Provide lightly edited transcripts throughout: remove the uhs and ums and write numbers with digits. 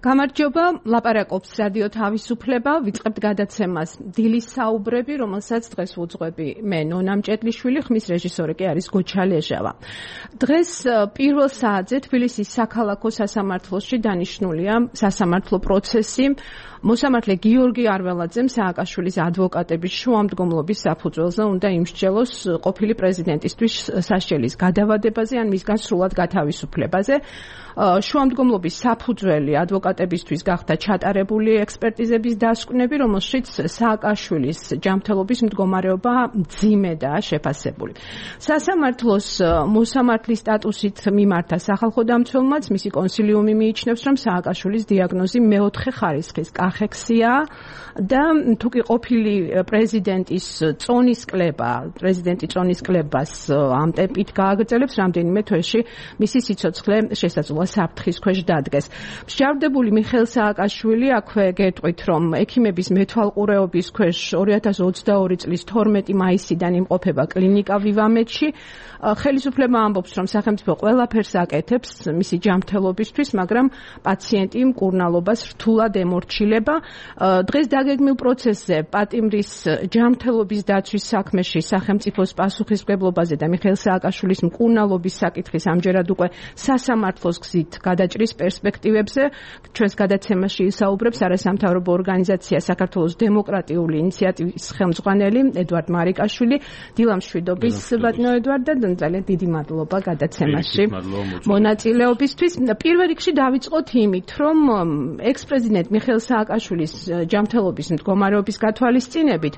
გამარჯობა, ლაპარაკობს რადიო თავისუფლება, ვიწყებთ გადაცემას დილის საუბრები, რომელსაც დღეს ვუძღვები მე ნონა მჭედლიშვილი, ხმის რეჟისორი კი არის გოჩა ლეჟავა. დღეს პირველ საათზე თბილისის საქალაქო სასამართლოში დანიშნულია სასამართლო პროცესი მოსამართლე გიორგი არველაძემ სააკაშვილის ადვოკატების შუამდგომლობის საფუძველზე უნდა იმსჯელოს ყოფილი პრეზიდენტისთვის სასჯელის გადავადებაზე ან მისგან სრულად გათავისუფლებაზე. შუამდგომლობის საფუძველი ადვოკატებისთვის გახდა ჩატარებული ექსპერტიზების დასკვნები, რომელშიც სააკაშვილის ჯანმრთელობის მდგომარეობა მძიმედაა შეფასებული. სასამართლოს მოსამართლის სტატუსით მიმართა სახალხო დამცველმაც მისი კონსილიუმი მიიჩნევს, რომ სააკაშვილის დიაგნოზი მეოთხე ხარისხის კახექსია და თუკი ყოფილი პრეზიდენტის პრეზიდენტი წონის კლებას ამ ტემპით გააგრძელებს, რამდენიმე თვეში მისი სიცოცხლე შესაძლოა საფრთხის ქვეშ დადგეს. მსჯავრდებული მიხეილ სააკაშვილი აქვე გეტყვით, რომ ექიმების მეთვალყურეობის ქვეშ 2022 წლის 12 მაისიდან იმყოფება კლინიკა ვივამედში. ხელისუფლება ამბობს, რომ სახელმწიფო ყველაფერს აკეთებს მისი ჯანმრთელობისთვის, მაგრამ პაციენტი მკურნალობას რთულად ემორჩილება. დღეს დაგეგმილ პროცესზე პატიმრის ჯანმრთელობის დაცვის საქმეში სახელმწიფოს პასუხისმგებლობაზე და მიხეილ სააკაშვილის მკურნალობის საკითხის ამჯერად უკვე სასამართლოს გზით გადაჭრის პერსპექტივებზე ჩვენს გადაცემაში ისაუბრებს არასამთავრობო ორგანიზაცია საქართველოს დემოკრატიული ინიციატივის ხელმძღვანელი ედვარდ მარიკაშვილი. დილამშვიდობის ბატონო ედვარდ და ძალიან დიდი მადლობა გადაცემაში მონაწილეობისთვის. პირველ რიგში დავიწყოთ იმით, რომ ექს-პრეზიდენტ მიხეილ სააკაშვილის ჯანმრთელობის მდგომარეობის გათვალისწინებით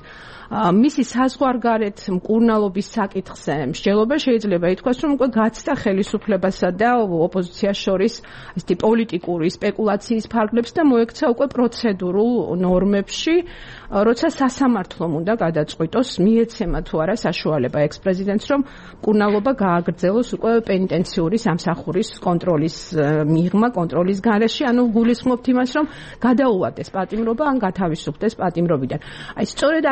მისი საზღვარგარეთ მკურნალობის საკითხზე მსჯელობა შეიძლება ითქვას, რომ უკვე გაცდა ხელისუფლებასა და ოპოზიციას შორის ესეთი პოლიტიკური სპეკულაციის ფარგლებს და მოექცა უკვე პროცედურულ ნორმებში, როცა სასამართლომ უნდა გადაწყვიტოს მიეცემა თუ არა საშუალება ექს-პრეზიდენტს, რომ მკურნალობა გააგრძელოს უკვე პენიტენციური სამსახურის კონტროლის მიღმა, კონტროლის გარეშე, ანუ გულისხმობთ იმას, რომ გადაუვადეს პატიმრობა ან გათავისუფლდეს პატიმრობიდან. აი სწორედ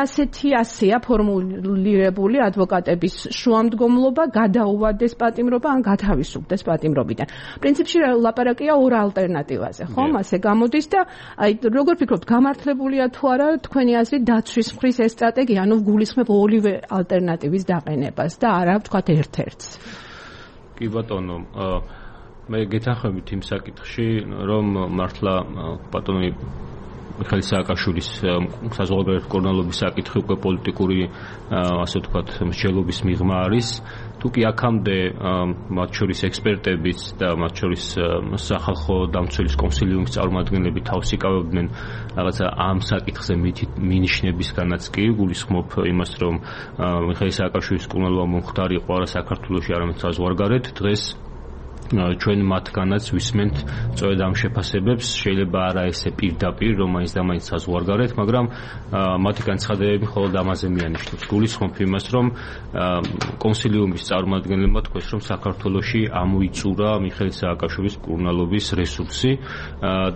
ასეა ფორმულირებული ადვოკატების შუამდგომლობა, გადაუვადეს პატიმრობა ან გათავისუფლდეს პატიმრობიდან. პრინციპში ლაპარაკია ორ ალტერნატივაზე, ხომ? ასე გამოდის და აი როგორ ფიქრობთ, გამართლებულია თუ არა თქვენი აზრით დაცვის მხრის ეს სტრატეგია, ანუ გულისხმობ ორივე ალტერნატივის დაყენებას და არა ვთქვათ ერთ-ერთს. კი ბატონო, მე გეთანხმებით იმ საკითხში, რომ მართლა ბატონი მიხეილ სააკაშვილის საზღვარგარეთ მკურნალობის საკითხი უკვე პოლიტიკური, ასე ვთქვათ, მსჯელობის მიღმა არის. თუკი აქამდე მათ შორის ექსპერტებიც და მათ შორის სახალხო დამცველის კონსილიუმის წარმომადგენლები თავს იკავებდნენ რაღაცა ამ საკითხზე მინიშნებისგანაც კი გულისხმობ იმას, რომ მიხეილ სააკაშვილის მკურნალობა მომხდარი იყო არა საქართველოში, არამედ საზღვარგარეთ. დღეს ჩვენ მათგანაც ვისმენთ სწორედ ამ შეფასებებს, შეიძლება არა ესე პირდაპირ, რომ მაინც და მაინც საზღვარგარეთ, მაგრამ მათი განცხადებები მხოლოდ ამაზე მიანიშნებს. გულისხმობ იმას, რომ კონსილიუმის წარმომადგენლებმა თქვეს, რომ საქართველოში ამოიწურა მიხეილ სააკაშვილის მკურნალობის რესურსი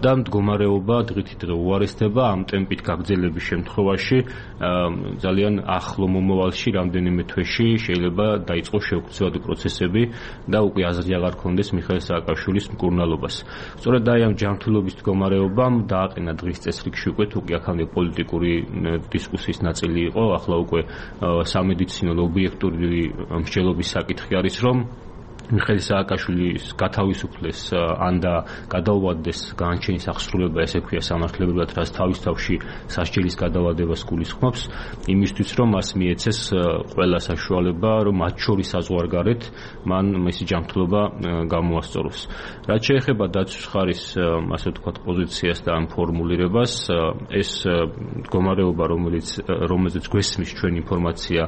და მდგომარეობა დღითიდღე დღე უარესდება. ამ ტემპით გაგრძელების შემთხვევაში ძალიან ახლო მომავალში, რამდენიმე თვეში შეიძლება დაიწყოს შეუქცევადი პროცესები და უკვე აზრი აღარ ქონდეს მიხეილ სააკაშვილის მკურნალობას. სწორედ აი ამ ჯანმრთელობის მდგომარეობამ დააყენა დღის წესრიგში უკვე თუკი აქამდე პოლიტიკური დისკუსიის ნაწილი იყო, ახლა უკვე სამედიცინო ობიექტური მსჯელობის საკითხი არის, რომ მიხეილ სააკაშვილის გათავისუფლეს ან და გადაუვადდეს განაჩენის აღსრულება, ესე ქვია სამართლებრივად, რაც თავის თავში სასჯელის გადავადებას გულისხმობს, იმისთვის რომ მას მიეცეს ყველა საშუალება, რომ მათ შორის საზღვარგარეთ მან მისი ჯანმრთელობა გამოასწოროს. რაც შეეხება დაცვის ხარის, ასე ვთქვათ, პოზიციას და ამ ფორმულირებას, ეს მდგომარეობა, რომელზეც გვესმის ჩვენ ინფორმაცია,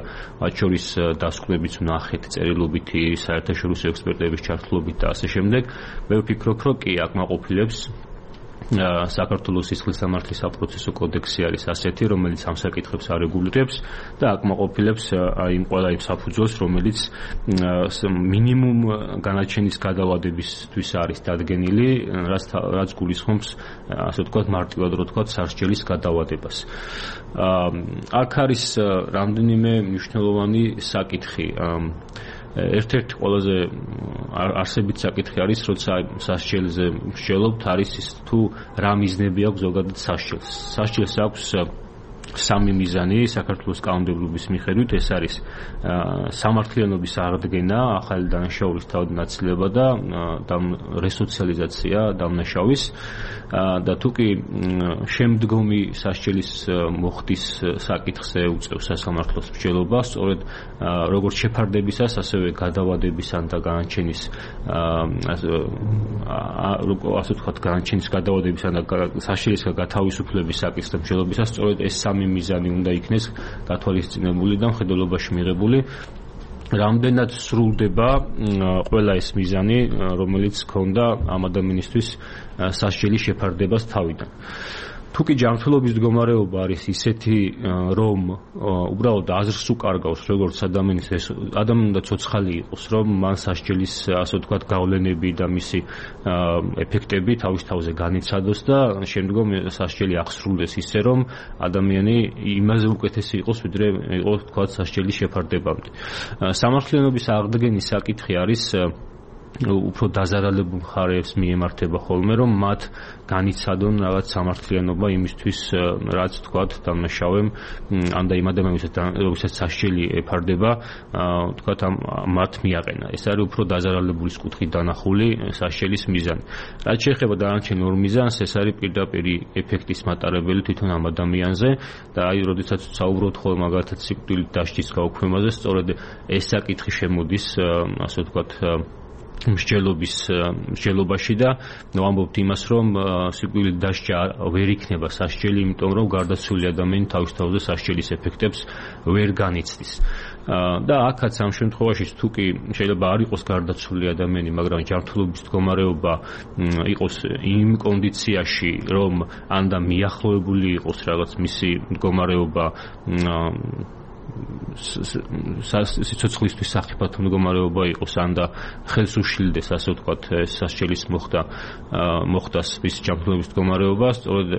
მათ შორის დასკვნებიც ვნახეთ, წერილობითი, საერთაშორისო ექსპერტების ჩართულობით და ასე შემდეგ, მე ვფიქრობ, რომ კი აკმაყოფილებს საქართველოს სისხლის სამართლის საპროცესო კოდექსი არის ასეთი, რომელიც ამ საკითხებს არეგულირებს და აკმაყოფილებს იმ ყველა იმ საფუძველს, რომელიც მინიმუმ განაჩენის გადავადებისთვის არის დადგენილი, რაც გულისხმობს, ასე ვთქვათ, მარტივად რო ვთქვათ, სასჯელის გადავადებას. აქ არის რამდენიმე მნიშვნელოვანი საკითხი. ერთ-ერთი ყველაზე არსებით საკითხი არის, როცა სასჯელზე მსჯელობთ, არის ის თუ რა მიზნები აქვს ზოგადად სასჯელს. სასჯელს აქვს სამი მიზანი საქართველოს კანონმდებლობის მიხედვით, ეს არის სამართლიანობის აღდგენა, ახალი დანაშაულის თავდანაწილება და რესოციალიზაცია დამნაშავის და თუკი შემდგომი სასჯელის მოხდის საკითხზე უწევს სასამართლოს მსჯელობა, სწორედ როგორც შეფარდებისას, ასევე გადავადებისან და განაჩენის ასე ვთქვათ, განაჩენის გადავადებისან და სასჯელისგან გათავისუფლების საკითხზე მსჯელობისას, სწორედ ეს სამი მიზანი უნდა იქნეს გათვალისწინებული და მხედველობაში მიღებული. რამდენად სრულდება ყველა ეს მიზანი, რომელიც ჰქონდა ამ ადამიანისთვის სასჯელის შეფარდებას თავიდან. თუკი ჯანმრთელობის მდგომარეობა არის ისეთი, რომ უბრალოდ აზრს უკარგავს, როგორც ადამიანი უნდა ცოცხალი იყოს, რომ მან სასჯელის, ასე ვთქვათ, გავლენები და მისი ეფექტები თავის თავზე განიცადოს და შემდგომ სასჯელი აღსრულდეს ისე, რომ ადამიანი იმაზე უკეთესი იყოს, ვიდრე იყო, ვთქვათ, სასჯელის შეფარდებამდე. სამართლიანობის აღდგენის საკითხი არის უფრო დაზარალებულ მხარეებს მიემართება ხოლმე, რომ მათ განიცადონ რაღაც სამართლიანობა იმისთვის, რაც თქვათ დამნაშავემ ან და იმ ადამიანებსაც სასჯელი ეფარდება, თქვათ მათ მიაყენა. ეს არის უფრო დაზარალებულის კუთხით დანახული სასჯელის მიზანი. რაც შეეხება დანარჩენ ორ მიზანს, ეს არის პირდაპირ ეფექტის მატარებელი თვითონ ამ ადამიანზე და აი, როდესაც საუბრობთ ხოლმე მაგალითად სიკვდილით დასჯის გაუქმებაზე, სწორედ ეს საკითხი შემოდის, ასე ვთქვათ, მსჯელობაში და ვამბობთ იმას, რომ სიკვდილით დასჯა ვერ იქნება სასჯელი, იმიტომ რომ გარდაცვლილი ადამიანი თავის თავზე სასჯელის ეფექტებს ვერ განიცდის. და აქაც ამ შემთხვევაში თუკი შეიძლება არ იყოს გარდაცვლილი ადამიანი, მაგრამ ჯანმრთელობის მდგომარეობა იყოს იმ კონდიციაში, რომ ან და მიახლოებული იყოს რაღაც მისი მდგომარეობა სიცოცხლისთვის სახიფათო მდგომარეობა იყოს, ან და ხელს უშლილდეს, ასე ვთქვათ, სასჯელის მოხდას ის ჯანმრთელობის მდგომარეობა, სწორედ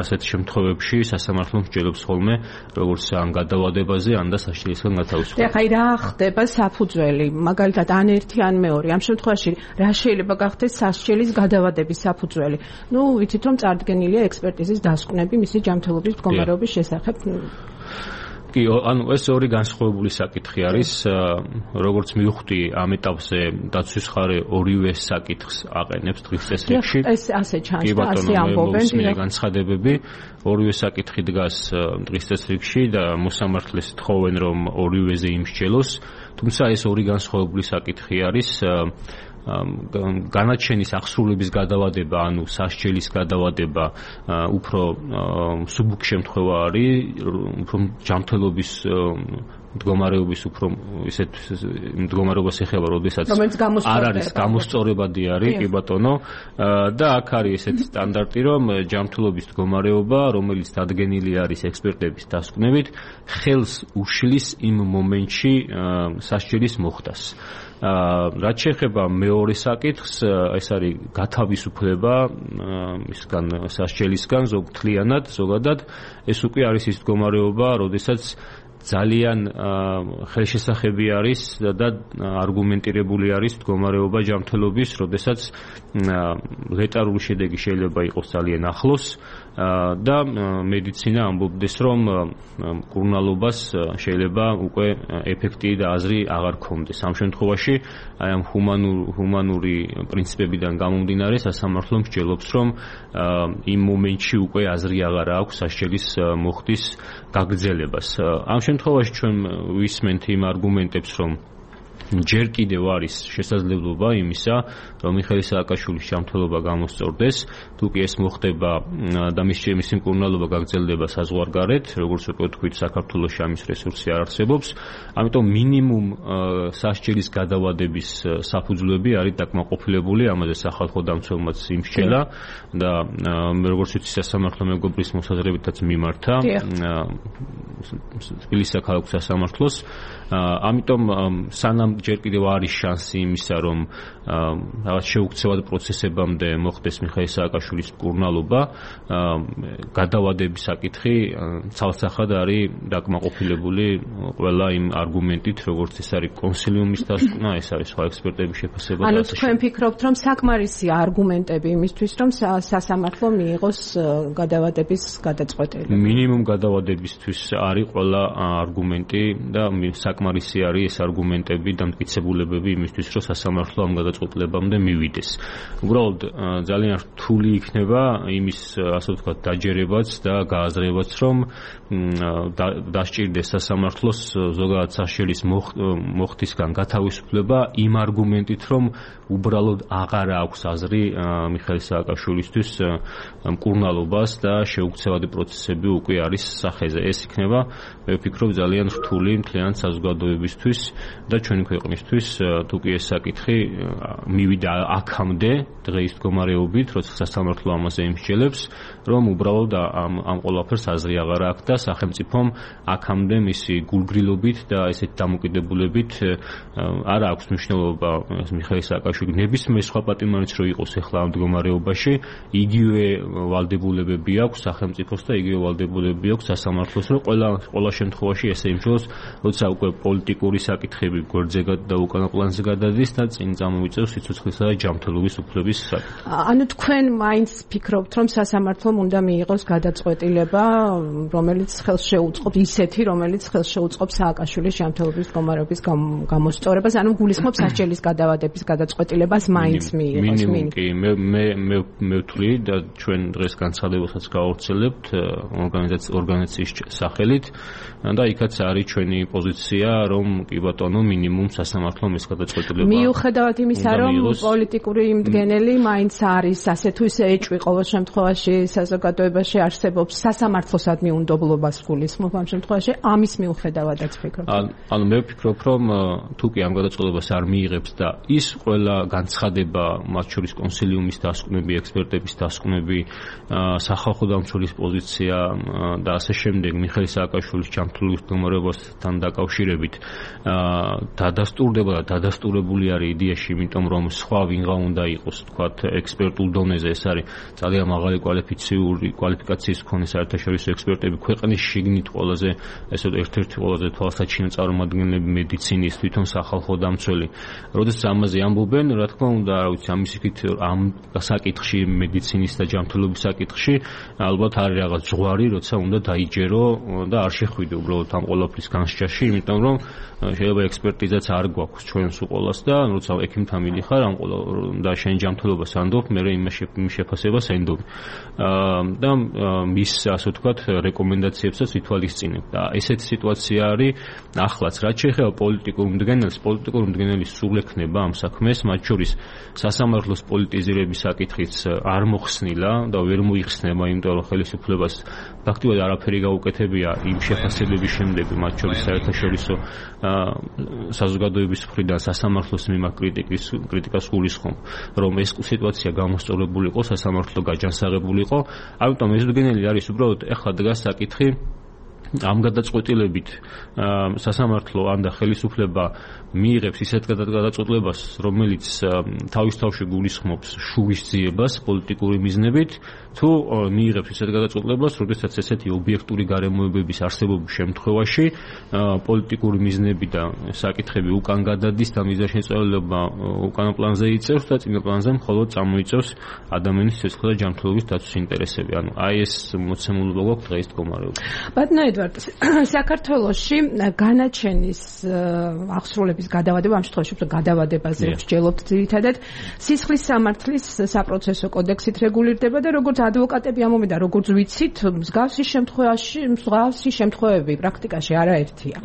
ასეთ შემთხვევებში სასამართლო მსჯელობს ხოლმე, როგორც ან გადავადებაზე, ან და სასჯელისგან გათავისუფლებას. ეხლა რა ხდება საფუძველი, მაგალითად ან ერთი ან მეორე, ამ შემთხვევაში რა შეიძლება გახდეს სასჯელის გადავადების საფუძველი? ვიცით რომ წარდგენილია ექსპერტიზის დასკვნები მისი ჯანმრთელობის მდგომარეობის შესახებ. კი, ანუ ეს ორი განსხვავებული საკითხი არის, როგორც მივხვდი ამ ეტაპზე დაცვის მხარე ორივე საკითხს აყენებს დღის წესრიგში. ეს ასე ჩანს და ასე ამბობენ. განცხადებები ორივე საკითხი დგას დღის წესრიგში და მოსამართლეს თხოვენ, რომ ორივეზე იმსჯელოს, თუმცა ეს ორი განსხვავებული საკითხი არის. განაჩენის აღსრულების გადავადება, ანუ სასჯელის გადავადება უფრო მსუბუქ შემთხვევა არის, უფრო ჯანმრთელობის მდგომარეობის უფრო ისეთ მდგომარეობას ეხება, როდესაც არ არის გამოსწორებადი არის, კი ბატონო, და აქ არის ესეთი სტანდარტი, რომ ჯანმრთელობის მდგომარეობა, რომელიც დადგენილი არის ექსპერტების დასკვნებით, ხელს უშლის იმ მომენტში სასჯელის მოხდას. რაც შეეხება მეორე საკითხს, ეს არის გათავისუფლება ისგან სასჯელისგან, ზოგადად, ეს უკვე არის ის მდგომარეობა, როდესაც ძალიან ხელშესახები არის და არგუმენტირებული არის მდგომარეობა ჯანმრთელობის, როდესაც ლეტარული შედეგი შეიძლება იყოს ძალიან ახლოს და მედიცინა ამბობდეს, რომ მკურნალობას შეიძლება უკვე ეფექტი და აზრი აღარ ქონდეს. ამ შემთხვევაში აი ამ ჰუმანური პრინციპებიდან გამომდინარე სასამართლო მსჯელობს, რომ იმ მომენტში უკვე აზრი აღარ აქვს სასჯელის მოხდის გაგრძელებას. ამ შემთხვევაში ჩვენ ვისმენთ იმ არგუმენტებს, რომ ჯერ კიდევ არის შესაძლებლობა იმისა, რომ მიხეილ სააკაშვილის ჯანმრთელობა გამოსწორდეს, თუკი ეს მოხდება და მისი მკურნალობა გაგრძელდება საზღვარგარეთ, როგორც უკვე თქვით, საქართველოში ამის რესურსი არ არსებობს, ამიტომ მინიმუმ სასჯელის გადავადების საფუძვლები არის დაკმაყოფილებული, ამაზე სახალხო დამცველმაც იმსჯელა და როგორც ვიცი, სასამართლო მეგობრის მოსაზრებითაც მიმართა თბილისის საქალაქო სასამართლოს, ამიტომ სანამ ჯერ კიდევ არის შანსი იმისა, რომ რაღაც შეუქცევად პროცესებამდე მოხდეს მიხეილ სააკაშვილის მკურნალობა, გადავადების საკითხი ცალსახად არის დაკმაყოფილებული ყველა იმ არგუმენტით, როგორც ეს არის კონსილიუმის დასკვნა, ეს არის სხვა ექსპერტების შეფასება. ანუ თქვენ ფიქრობთ, რომ საკმარისია არგუმენტები იმისთვის, რომ სასამართლო მიიღოს გადავადების გადაწყვეტილება? მინიმუმ გადავადებისთვის არის ყველა არგუმენტი და საკმარისი არის ეს არგუმენტები და მტკიცებულებები იმისთვის, რომ სასამართლო ამ გადაწყვეტილებამდე მივიდეს. უბრალოდ ძალიან რთული იქნება იმის, ასე ვთქვათ, დაჯერებაც და გააზრებაც, რომ დასჭირდეს სასამართლოს ზოგადად საშელის მოხდისგან გათავისუფლება იმ არგუმენტით, რომ უბრალოდ აღარ აქვს აზრი მიხეილ სააკაშვილისთვის მკურნალობას და შეუქცევადი პროცესები უკვე არის სახეზე. ეს იქნება, მე ვფიქრობ, ძალიან რთული მთლიან საზოგადოებისთვის და ჩვენი ქვეყნისთვის, თუ კი ეს საკითხი მივიდა აქამდე დღეის მდგომარეობით, როცა სასამართლო ამაზე იმსჯელებს, რომ უბრალოდ ამ ყველაფერს აზრი აღარ აქვს და სახელმწიფომ აქამდე მისი გულგრილობით და ესეთ დამოკიდებულებით არ აქვს მნიშვნელობა მიხეილ სააკაშვილის ნებისმიერ სხვა პატიმარიც რო იყოს ახლა ამ მდგომარეობაში, იგივე ვალდებულებები აქვს სახელმწიფოს და იგივე ვალდებულებები აქვს სასამართლოს, რომ ყველა შემთხვევაში ესე იმжелოს, როცა უკვე პოლიტიკური საკითხები გვერდზე და უკანა პლანზე გადადის და წინ წამოვიწევს სიცოცხლისა და ჯანმრთელობის უფლების საკითხი. ანუ თქვენ მაინც ფიქრობთ, რომ სასამართლომ უნდა მიიღოს გადაწყვეტილება, რომელიც ხელს შეუწყობს ისეთი, რომელიც ხელს შეუწყობს სააკაშვილის ჯანმრთელობის მდგომარეობის გამოსწორებას, ანუ გულისხმობს სასჯელის გადავადების გადაწყვეტილებას მაინც მიიღოს. კი, მე ვთვლი და ჩვენ დღეს განცხადებასაც გავავრცელებთ ორგანიზაციის სახელით და იქაც არის ჩვენი პოზიცია, რომ კი ბატონო, მინიმუმ სასამართლომ ეს გადაწყვეტილება. მიუხედავად იმისა, რომ პოლიტიკური იმდგენელი მაინც არის, ასე თუ ისე ეჭვი ყოველ შემთხვევაში საზოგადოებაში არსებობს, სასამართლოსადმი უნდობლობას გულისხმობ ამ შემთხვევაში, ამის მიუხედავადაც ფიქრობ. ანუ მე ვფიქრობ, რომ თუ კი ამ გადაწყვეტილებას არ მიიღებს და ის ყველა განცხადება, მათ შორის კონსილიუმის დასკვნები, ექსპერტების დასკვნები, სახალხო დამცველის პოზიცია და ასე შემდეგ მიხეილ სააკაშვილის ჯანმრთელობის მდგომარეობასთან დაკავშირებით დადასტურდება და დადასტურებული არის იდეაში, იმიტომ რომ სხვა ვინღა უნდა იყოს, თქვათ, ექსპერტულ დონეზე, ეს არის ძალიან მაღალი კვალიფიკაციის მქონე საერთაშორისო ექსპერტები, ქვეყნის შიგნით ყველაზე, ესე ერთ-ერთი ყველაზე თვალსაჩინო წარმომადგენლები მედიცინის, თვითონ სახალხო დამცველი. როდესაც ამაზე ამბობენ, რა თქმა უნდა, რა ვიცი, ამის იქით ამ საკითხში, მედიცინის და ჯანმრთელობის საკითხში, ალბათ არის რაღაც ზღვარი, როცა უნდა დაიჯერო და არ შეხვიდე უბრალოდ ამ ყველაფრის განსჯაში, იმიტომ რომ შეიძლება ექსპერტიზაც არ გვაქვს ჩვენს უყოლას და როცა ექიმთან მიდიხარ ამ ყველა და შენ ჯანმრთელობას ანდობ, მე იმის შეფასებას ენდობ. და მის, ასე ვთქვათ, რეკომენდაციებსაც ვითვალისწინებ. და ესეთი სიტუაცია არის ახლაც, რაც შეეხება პოლიტიკურ მდგენელის სულ ექნება ამ საქმეს, მათ შორის სასამართლოს პოლიტიზირების საკითხიც არ მოხსნილა და ვერ მოიხსნება, იმიტომ რომ ხელისუფლებას ფაქტობრივად არაფერი გაუკეთებია იმ შეფასებების შემდეგ, მათ შორის საერთაშორისო საზოგადოების მხრიდან სასამართლოს მიმართ კრიტიკას გულისხმობ, რომ ეს სიტუაცია გამოსწორებული იყო, სასამართლო გაჯანსაღებული იყო, ამიტომ ეს მდგენელი არის უბრალოდ ეხლა დგას საკითხი ამ გადაწყვეტილებით სასამართლო ან და ხელისუფლება მიიღებს ისეთ გადაწყვეტილებას, რომელიც თავის თავში გულისხმობს შურის ძიებას პოლიტიკური მიზნებით, თუ მიიღებს ისეთ გადაწყვეტილებას, როდესაც ესეთი ობიექტური გარემოებების არსებობის შემთხვევაში პოლიტიკური მიზნები და საკითხები უკან გადადის და მიზანშეწონილობა უკანა პლანზე იწევს და წინა პლანზე მხოლოდ წამოიწევს ადამიანის სიცოცხლის და ჯანმრთელობის დაცვის ინტერესები. ანუ აი ეს მოცემულობა გვაქვს დღეის მდგომარეობაში. ბატონო ედვარდ, საქართველოში განაჩენის აღსრულების გადავადება, ამ შემთხვევაში გადავადებაზე ვსჯელობთ ძირითადად, სისხლის სამართლის საპროცესო კოდექსით რეგულირდება და როგორც ადვოკატები ამომი და როგორც ვიცით, მსგავსი შემთხვევები პრაქტიკაში არაერთია.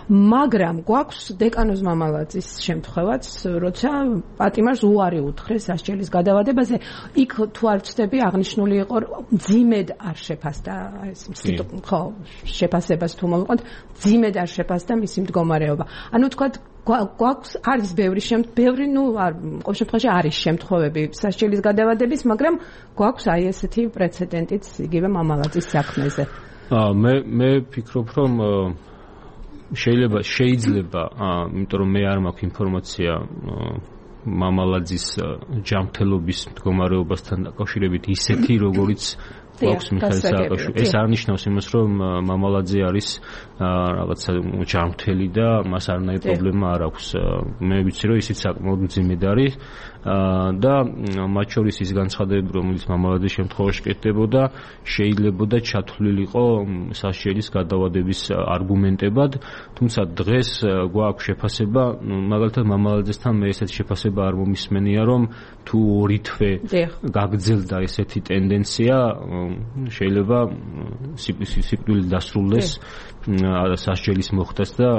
მაგრამ გვაქვს დეკანოზ მამალაძის შემთხვევაც, როცა პატიმარს უარი უთხრეს სასჯელის გადავადებაზე, იქ თუ არ ვცდები აღნიშნული იყო, მძიმედ არ შეფასდა ეს შეფასებას თუ მოვიყვანთ, მძიმედ არ შეფასდა მისი მდგომარეობა. ანუ თქვათ გვაქვს არის ბევრი ყოველ შემთხვევაში არის შემთხვევები სასჯელის გადავადების, მაგრამ გვაქვს აი ესეთი პრეცედენტიც იგივე მამალაძის საქმეზე. მე ფიქრობ, რომ შეიძლება, იმიტომ რომ მე არ მაქვს ინფორმაცია მამალაძის ჯანმრთელობის მდგომარეობასთან დაკავშირებით ისეთი, როგორიც გვაქვს მიხეილ სააკაშვილი. ეს არ ნიშნავს იმას, რომ მამალაძე არის რაღაცა ჯანმრთელი და მას არანაირი პრობლემა არ აქვს. მე ვიცი, რომ ისიც საკმაოდ მძიმედ არის და მათ შორის ის განცხადებები, რომელიც მამალაძის შემთხვევაში კეთდებოდა, შეიძლებოდა ჩათვლილიყო სასჯელის გადავადების არგუმენტებად, თუმცა დღეს გვაქვს შეფასება, მაგალითად მამალაძესთან მე ესეთი შეფასება არ მომისმენია, რომ თუ ორი თვე გაგრძელდა ესეთი ტენდენცია, შეიძლება სიკვდილით დასრულდეს სასჯელის მოხდას და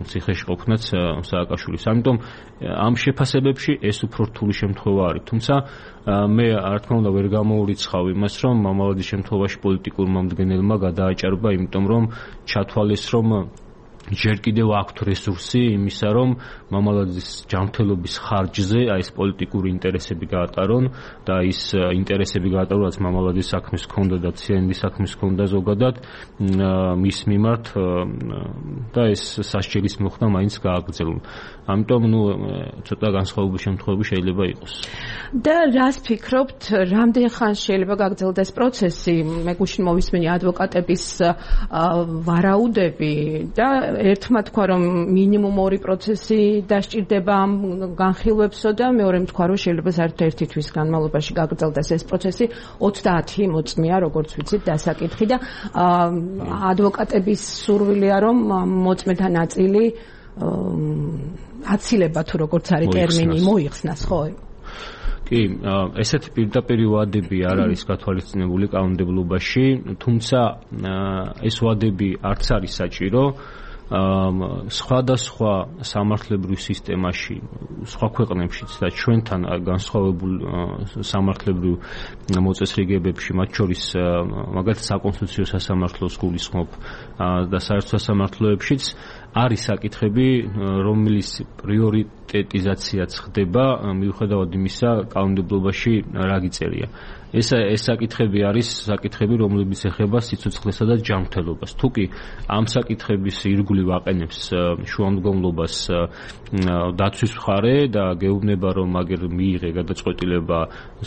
ციხეში ყოფნაც სააკაშვილის. ამიტომ ამ შეფასებებში ეს უფრო რთული შემთხვევა არის. თუმცა მე რა თქმა უნდა ვერ გამოურიცხავ იმას, რომ მამალაძის შემთხვევაში პოლიტიკურმა მომდგენელმა გადააჭარბა, იმიტომ რომ ჩათვალეს, რომ ჯერ კიდევ აქვთ რესურსი იმისა, რომ მამალაძის ჯანმრთელობის ხარჯზე ეს პოლიტიკური ინტერესები გაატარონ და ის ინტერესები გაატარონ, რაც მამალაძის საქმის ჰქონდა და ციანიდის საქმის ჰქონდა ზოგადად მის მიმართ და ეს სასჯელის მოხდა მაინც გააგრძელონ. ამიტომ ცოტა განსხვავებული შემთხვევები შეიძლება იყოს. და რას ფიქრობთ, რამდენ ხანს შეიძლება გაგრძელდეს პროცესი? მე გუშინ მოვისმენი ადვოკატების ვარაუდები და ერთმა თქვა, რომ მინიმუმ 2 პროცესი დასჭირდება ამ განხილვებსო და მეორე თქვა, რომ შეიძლება საერთოდ 1 თვის განმავლობაში გაგრძელდეს ეს პროცესი. 30 მოწმეა, როგორც ვიცით, დასაკითხი და ადვოკატების სურვილია, რომ მოწმეთა ნაწილი აცილება თუ როგორც არის ტერმინი მოიხსნას, ხო? კი, ესეთი პირდაპირ ვადები არ არის გათვალისწინებული კანონმდებლობაში, თუმცა ეს ვადები არც არის საჭირო. სხვადასხვა სამართლებრივ სისტემაში, სხვა ქვეყნებშიც და ჩვენთან განსხვავებულ სამართლებრივ მოწესრიგებებში, მათ შორის მაგალითად საკონსტიტუციო სასამართლოს გულისხმობ და საერთო სასამართლოებშიც არის საკითხები, რომლის პრიორიტეტიზაციაც ხდება მიუხედავად იმისა, კანონმდებლობაში რა გიწერია. ეს საკითხები არის საკითხები, რომლებიც ეხება სიცოცხლესა და ჯანმრთელობას. თუკი ამ საკითხების ირგვლივ აყენებს შუამდგომლობას დაცვის მხარე და გეუბნება, რომ მაგერ მიიღე გადაწყვეტილება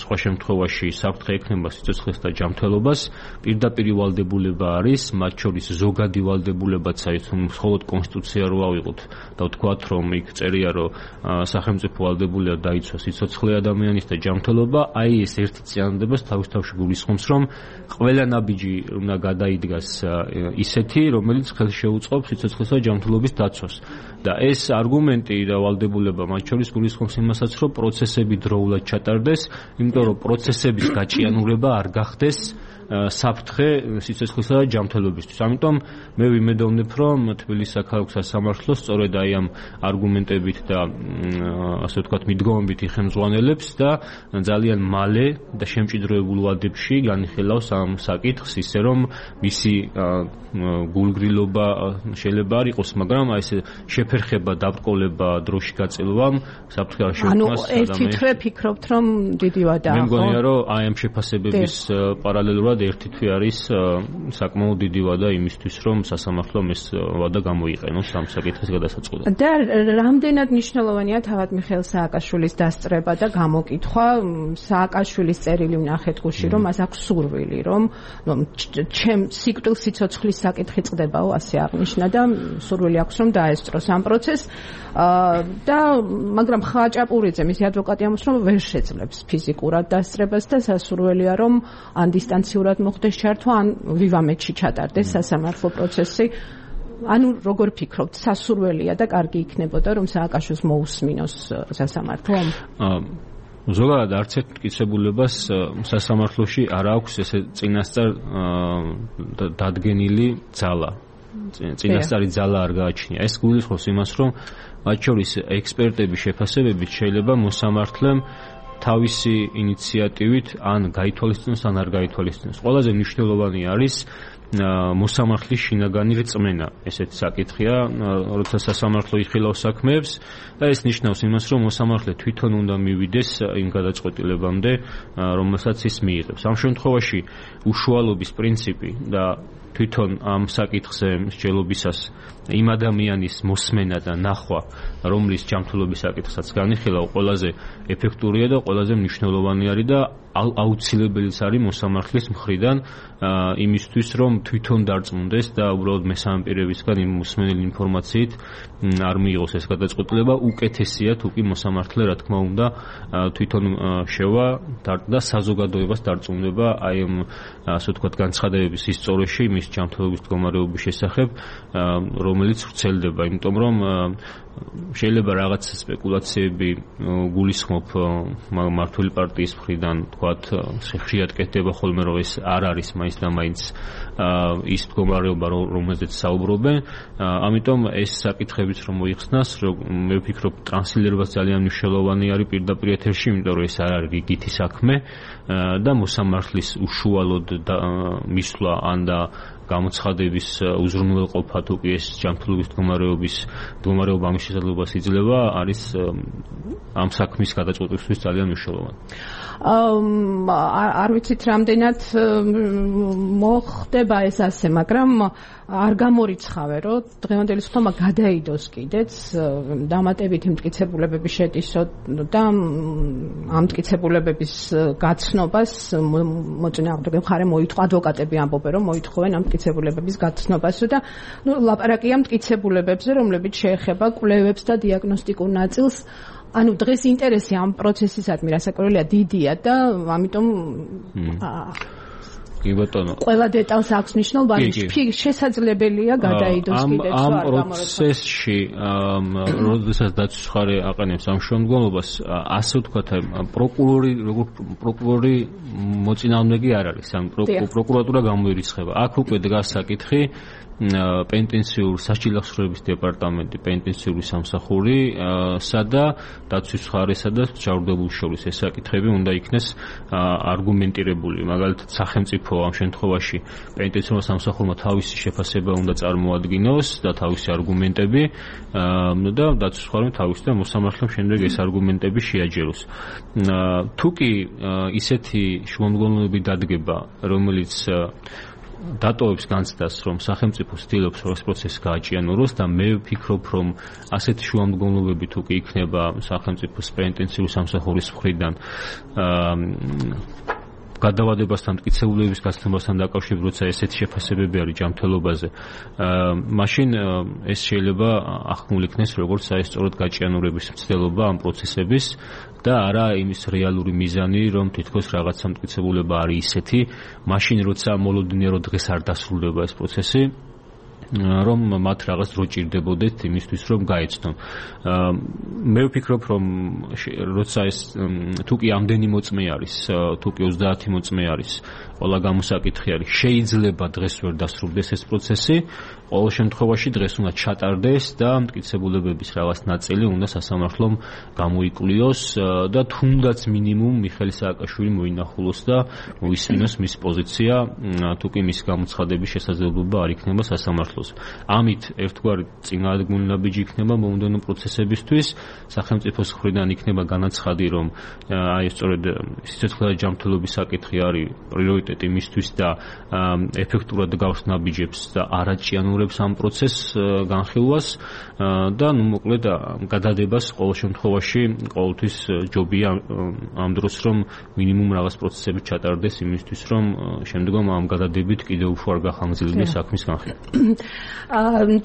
სხვა შემთხვევაში საფრთხე ექნება სიცოცხლეს და ჯანმრთელობას, პირდაპირ ვალდებულება არის, მათ შორის ზოგადი ვალდებულებაც არის, მხოლოდ კონსტიტუცია რო ავიღოთ და ვთქვათ, რომ იქ წერია, რომ სახელმწიფო ვალდებულია დაიცვას სიცოცხლე ადამიანის და ჯანმრთელობა, აი ეს ერთი წინადადება თავის თავში გულისხმობს, რომ ყველა ნაბიჯი უნდა გადაიდგას ისეთი, რომელიც ხელს შეუწყობს სიცოცხლესა და ჯანმრთელობის დაცვას. და ეს არგუმენტი და ვალდებულება მათ შორის გულისხმობს იმასაც, რომ პროცესები დროულად ჩატარდეს, იმიტომ რომ პროცესების გაჭიანურება არ გახდეს საფრთხე სიცოცხლისა და ჯანმრთელობისთვის. ამიტომ მე ვიმედოვნებ, რომ თბილისის საქალაქო სასამართლო სწორედ აი ამ არგუმენტებით და ასე ვთქვათ მიდგომებით იხელმძღვანელებს და ძალიან მალე და შემჭიდროებულ ვადებში განიხილავს ამ საკითხს, ისე რომ მისი გულგრილობა შეიძლება არ იყოს, მაგრამ აი ეს შეფერხება, დაბრკოლება დროში გაწელვამ საფრთხე არ შეუქმნას ადამიანს. ანუ ერთი თვე ფიქრობთ, რომ დიდი ვადაა, ხო? მე მგონია, რომ აი ამ შეფასებების პარალელურად ერთი თვე არის საკმაოდ დიდი ვადა იმისთვის, რომ სასამართლომ ეს ვადა გამოიყენოს ამ საკითხის გადასაწყობად. და რამდენად მნიშვნელოვანია თავად მიხეილ სააკაშვილის დასწრება და გამოკითხვა? სააკაშვილის წერილი ვნახეთ გუშინ, რომ მას აქვს სურვილი, რომ ჩემ სიკვდილ სიცოცხლის საკითხი წყდებაო, ასე აღნიშნა და სურვილი აქვს, რომ დაესწროს ამ პროცესს. და მაგრამ ხაჭაპურიძე, მისი ადვოკატი ამბობს, რომ ვერ შეძლებს ფიზიკურად დასწრებას და სასურველია, რომ ან დისტანციურად მოხდეს ჩართვა, ან ვივამეთში ჩატარდეს სასამართლო პროცესი. ანუ როგორ ფიქრობთ, სასურველია და კარგი იქნებოდა, რომ სააკაშვილს მოусმინოს სასამართლო? ზოგადად არც ერთ მტკიცებულებას სასამართლოში არ აქვს ესე წინასწარ დადგენილი ძალა. წინასწარი ძალა არ გააჩნია. ეს გულისხმობს იმას, რომ მათ შორის ექსპერტების შეფასებებით შეიძლება მოსამართლემ თავისი ინიციატივით ან გაითვალისწინოს, ან არ გაითვალისწინოს. ყველაზე მნიშვნელოვანი არის მოსამართლის შინაგანი რწმენა. ესეთი საკითხია, როცა სასამართლო იხილავს საქმეებს და ეს ნიშნავს იმას, რომ მოსამართლე თვითონ უნდა მივიდეს იმ გადაწყვეტილებამდე, რომელსაც ის მიიღებს. ამ შემთხვევაში უშუალობის პრინციპი და თვითონ ამ საკითხზე მსჯელობისას იმ ადამიანის მოსმენა და ნახვა, რომლის ჯანმრთელობის საკითხსაც განიხილავ, ყველაზე ეფექტურია და ყველაზე მნიშვნელოვანი არის და აუცილებელიც არის მოსამართლის მხრიდან იმისთვის, რომ თვითონ დარწმუნდეს და უბრალოდ მესამე პირებისგან იმ მოსმენილი ინფორმაციით არ მიიღოს ეს გადაწყვეტილება, უკეთესია თუ კი მოსამართლე, რა თქმა უნდა, თვითონ შევა და საზოგადოებას დარწმუნება აი ამ ასე ვთქვათ განცხადებების ისწორეში მის ჯანმრთელობის მდგომარეობის შესახებ, რომელიც ვრცელდება, იმიტომ რომ შეიძლება რაღაც სპეკულაციები გულისხმობ მართული პარტიის მხრიდან, თქვათ, ხშირად კეთდება ხოლმე, რომ ეს არ არის მაინც და მაინც ის მდგომარეობა, რომელზეც საუბრობენ. ამიტომ ეს საკითხებიც რომ მოიხსნას, მე ვფიქრობ, ტრანსლირებას ძალიან მნიშვნელოვანი არის პირდაპირ ეთერში, იმიტომ რომ ეს არ არის რიგითი საქმე და მოსამართლის უშუალოდ მისვლა ან და გამოცხადების უზრუნველყოფა თუ კი ეს ჯანმრთელობის მდგომარეობა ამის შესაძლებლობას იძლევა, არის ამ საქმის გადაწყვეტისთვის ძალიან მნიშვნელოვანი. არ ვიცით რამდენად მოხდება ეს ასე, მაგრამ არ გამორიცხავე, რომ დღევანდელი ხმა გადაიდოს კიდეც დამატებითი მტკიცებულებები შეტისო და ამ მტკიცებულებების გაცნობას მოწინააღმდეგე მხარე მოითხოვა, ადვოკატები ამბობენ, რომ მოითხოვენ ამ მტკიცებულებების გაცნობას და ლაპარაკია მტკიცებულებებზე, რომლებიც შეეხება კვლევებს და დიაგნოსტიკურ ნაწილს. ანუ დღეს ინტერესი ამ პროცესისადმი რასაკვირველია დიდია და ამიტომ კი ბატონო. ყველა დეტალს აქვს მნიშვნელობა, შესაძლებელია გადაიდოს კიდეც ამ პროცესში, როდესაც დაცვის მხარე აყენებს ამ შემდგომლობას, ასე ვთქვათ, პროკურორი მოწინააღმდეგე არ არის, ან პროკურატურა გამოირიცხება. აქ უკვე დგას საკითხი პენტენციურ სასჯელახსოვრების დეპარტამენტი, პენტენციური სამსახური, სადა დაცვის მხარესა და ჯავრდებულ შორის ეს საკითხები უნდა იქნეს არგუმენტირებული. მაგალითად, სახელმწიფო ამ შემთხვევაში პენტენციურ სამსახურმა თავისი შეფასება უნდა წარმოადგინოს და თავისი არგუმენტები და დაცვის მხარემ თავისი და მოსამართლემ შემდეგ ეს არგუმენტები შეაჯეროს. თუ კი ისეთი შუამდგომლობები დადგება, რომელიც დატოვებს განცდას, რომ სახელმწიფო ცდილობს რომ ეს პროცესი გააჭიანუროს და მე ვფიქრობ, რომ ასეთი შუამდგომლობები თუ კი იქნება სახელმწიფოს პენტენციური სამსახურის მხრიდან გადავადებასთან, მტკიცებულებების გაცნობასთან დაკავშირებით, როცა ესეთი შეფასებები არის ჯანმრთელობაზე, მაშინ ეს შეიძლება ახმულ იქნეს როგორც საერთოდ გაჭიანურების მცდელობა ამ პროცესების და არა იმის რეალური მიზანი, რომ თითქოს რაღაცა მტკიცებულება არის ისეთი, მაშინ როცა მოლოდინერო დღეს არ დასრულდება ეს პროცესი, რომ მათ რაღაც დრო ჭირდებოდეთ იმისთვის, რომ გაეცნონ. მე ვფიქრობ, რომ როცა ეს თუ კი ამდენი მოწმე არის, თუ კი 30 მოწმე არის, ყველა გამოსაკითხი არის, შეიძლება დღეს ვერ დასრულდეს ეს პროცესი, ყოველ შემთხვევაში დღეს უნდა ჩატარდეს და მტკიცებულებების რაღაც ნაწილი უნდა სასამართლომ გამოიკვლიოს და თუნდაც მინიმუმ მიხეილ სააკაშვილი მოინახულოს და მოისმინოს მის პოზიცია, თუ კი მის გამოცხადების შესაძლებლობა არ იქნება სასამართლოს. ამით ერთგვარი წინააღმდეგი ნაბიჯი იქნება მომდევნო პროცესებისთვის, სახელმწიფოს მხრიდან იქნება განაცხადი, რომ აი სწორედ სიცოცხლე და ჯანმრთელობის საკითხი არის პრიორიტეტი მისთვის და ეფექტურად გავს ნაბიჯებს და არაჭიანურებს ამ პროცესს განხილვას და ნუ მოკლედ გადადებას ყოველ შემთხვევაში ყოველთვის ჯობია ამ დროს, რომ მინიმუმ რაღაც პროცესები ჩატარდეს იმისთვის, რომ შემდგომ ამ გადადებით კიდევ უფრო არ გახანგრძლივდეს საქმის განხილვა.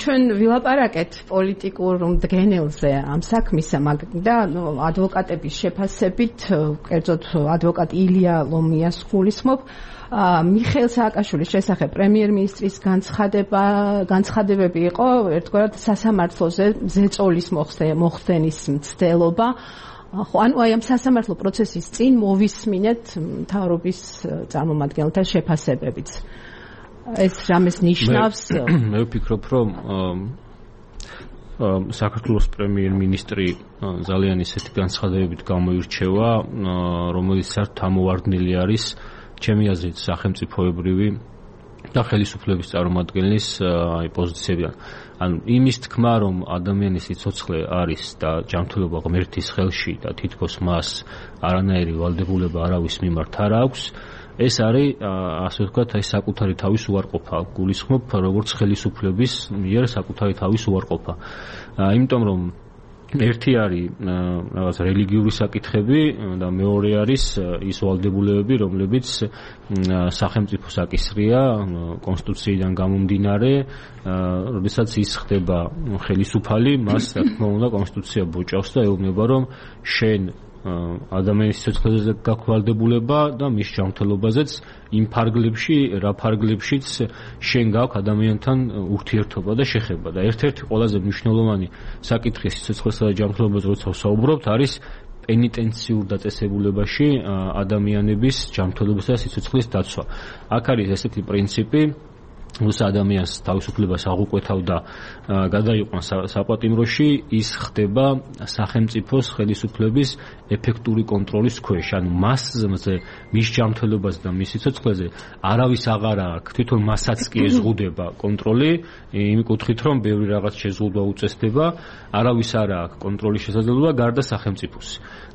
ჩვენ ვილაპარაკეთ პოლიტიკურ მდგენელზე ამ საქმისა და ადვოკატების შეფასებით, კერძოდ ადვოკატ ილია ლომიას გულისხმობ, მიხეილ სააკაშვილის შესახებ პრემიერ-მინისტრის განცხადებები იყო ერთგვარად სასამართლოზე ზეწოლის მოხდენის მცდელობა. ანუ აი ამ სასამართლო პროცესის წინ მოვისმინეთ მთავრობის წარმომადგენელთა შეფასებებიც. ეს რამეს ნიშნავს? მე ვფიქრობ, რომ საქართველოს პრემიერ-მინისტრი ძალიან ისეთი განცხადებებით გამოირჩევა, რომელიც საერთოდ ამოვარდნილი არის ჩემი აზრით სახელმწიფოებრივი და ხელისუფლების წარმომადგენლის პოზიციებიდან. ანუ იმის თქმა, რომ ადამიანის სიცოცხლე არის და ჯანმრთელობა ღმერთის ხელში და თითქოს მას არანაირი ვალდებულება არავის მიმართ არ აქვს, ეს არის ასე ვთქვათ, აი საკუთარი თავის უარყოფა. გულისხმობ როგორც ხელისუფლების მიერ საკუთარი თავის უარყოფა. იმიტომ რომ ერთი არის რაღაც რელიგიური საკითხები და მეორე არის ის ვალდებულებები, რომლებიც სახელმწიფოს აკისრია კონსტიტუციიდან გამომდინარე, როდესაც ის ხდება ხელისუფალი, მას რა თქმა უნდა კონსტიტუცია ბოჭავს და ეუბნება, რომ შენ ადამიანის სიცოცხლეზე გაქვს ვალდებულება და მის ჯანმრთელობაზეც იმ ფარგლებში, რა ფარგლებშიც შენ გაქვს ადამიანთან ურთიერთობა და შეხება. და ერთ-ერთი ყველაზე მნიშვნელოვანი საკითხი სიცოცხლესა და ჯანმრთელობაზე როცა ვსაუბრობთ, არის პენიტენციურ დაწესებულებაში ადამიანების ჯანმრთელობისა და სიცოცხლის დაცვა. აქ არის ესეთი პრინციპი, როცა ადამიანს თავისუფლებას აღუკვეთავ და გადაიყვანს საპატიმროში, ის ხდება სახელმწიფოს ხელისუფლების ეფექტური კონტროლის ქვეშ. ანუ მასზე, მის ჯანმრთელობაზე და მის სიცოცხლეზე არავის აღარ აქვს. თვითონ მასაც კი ეზღუდება კონტროლი, იმ კუთხით, რომ ბევრი რაღაც შეზღუდვა უწესდება, არავის არ აქვს კონტროლის შესაძლებლობა გარდა სახელმწიფოს.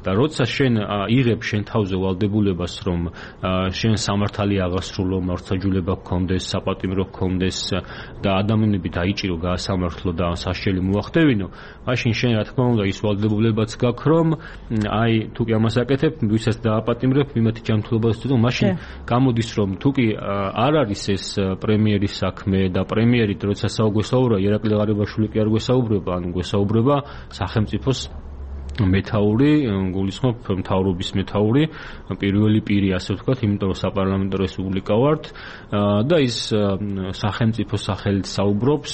და როცა შენ იღებ შენ თავზე ვალდებულებას, რომ შენ სამართალი აღასრულო, მართლმსაჯულება გქონდეს, საპატიმრო გქონდეს და ადამიანები დაიჭირო, გაასამართლო და სასჯელი მოახდევინო, მაშინ შენ რა თქმა უნდა ის ვალდებულებაც გაქვს, რომ აი თუ კი ამას აკეთებ, ვისაც დააპატიმრებ, იმათი ჯანმრთელობაზე თუ მაშინ გამოდის, რომ თუ კი არ არის ეს პრემიერის საქმე და პრემიერი როცა საუბრობ, ირაკლი ღარიბაშვილი კი არ გვესაუბრება, ანუ გვესაუბრება სახელმწიფოს მეთაური, გულისხმობ მთავრობის მეთაური, პირველი პირი, ასე ვთქვათ, იმიტომ რომ საპარლამენტო რესპუბლიკა ვართ და ის სახელმწიფოს სახელით საუბრობს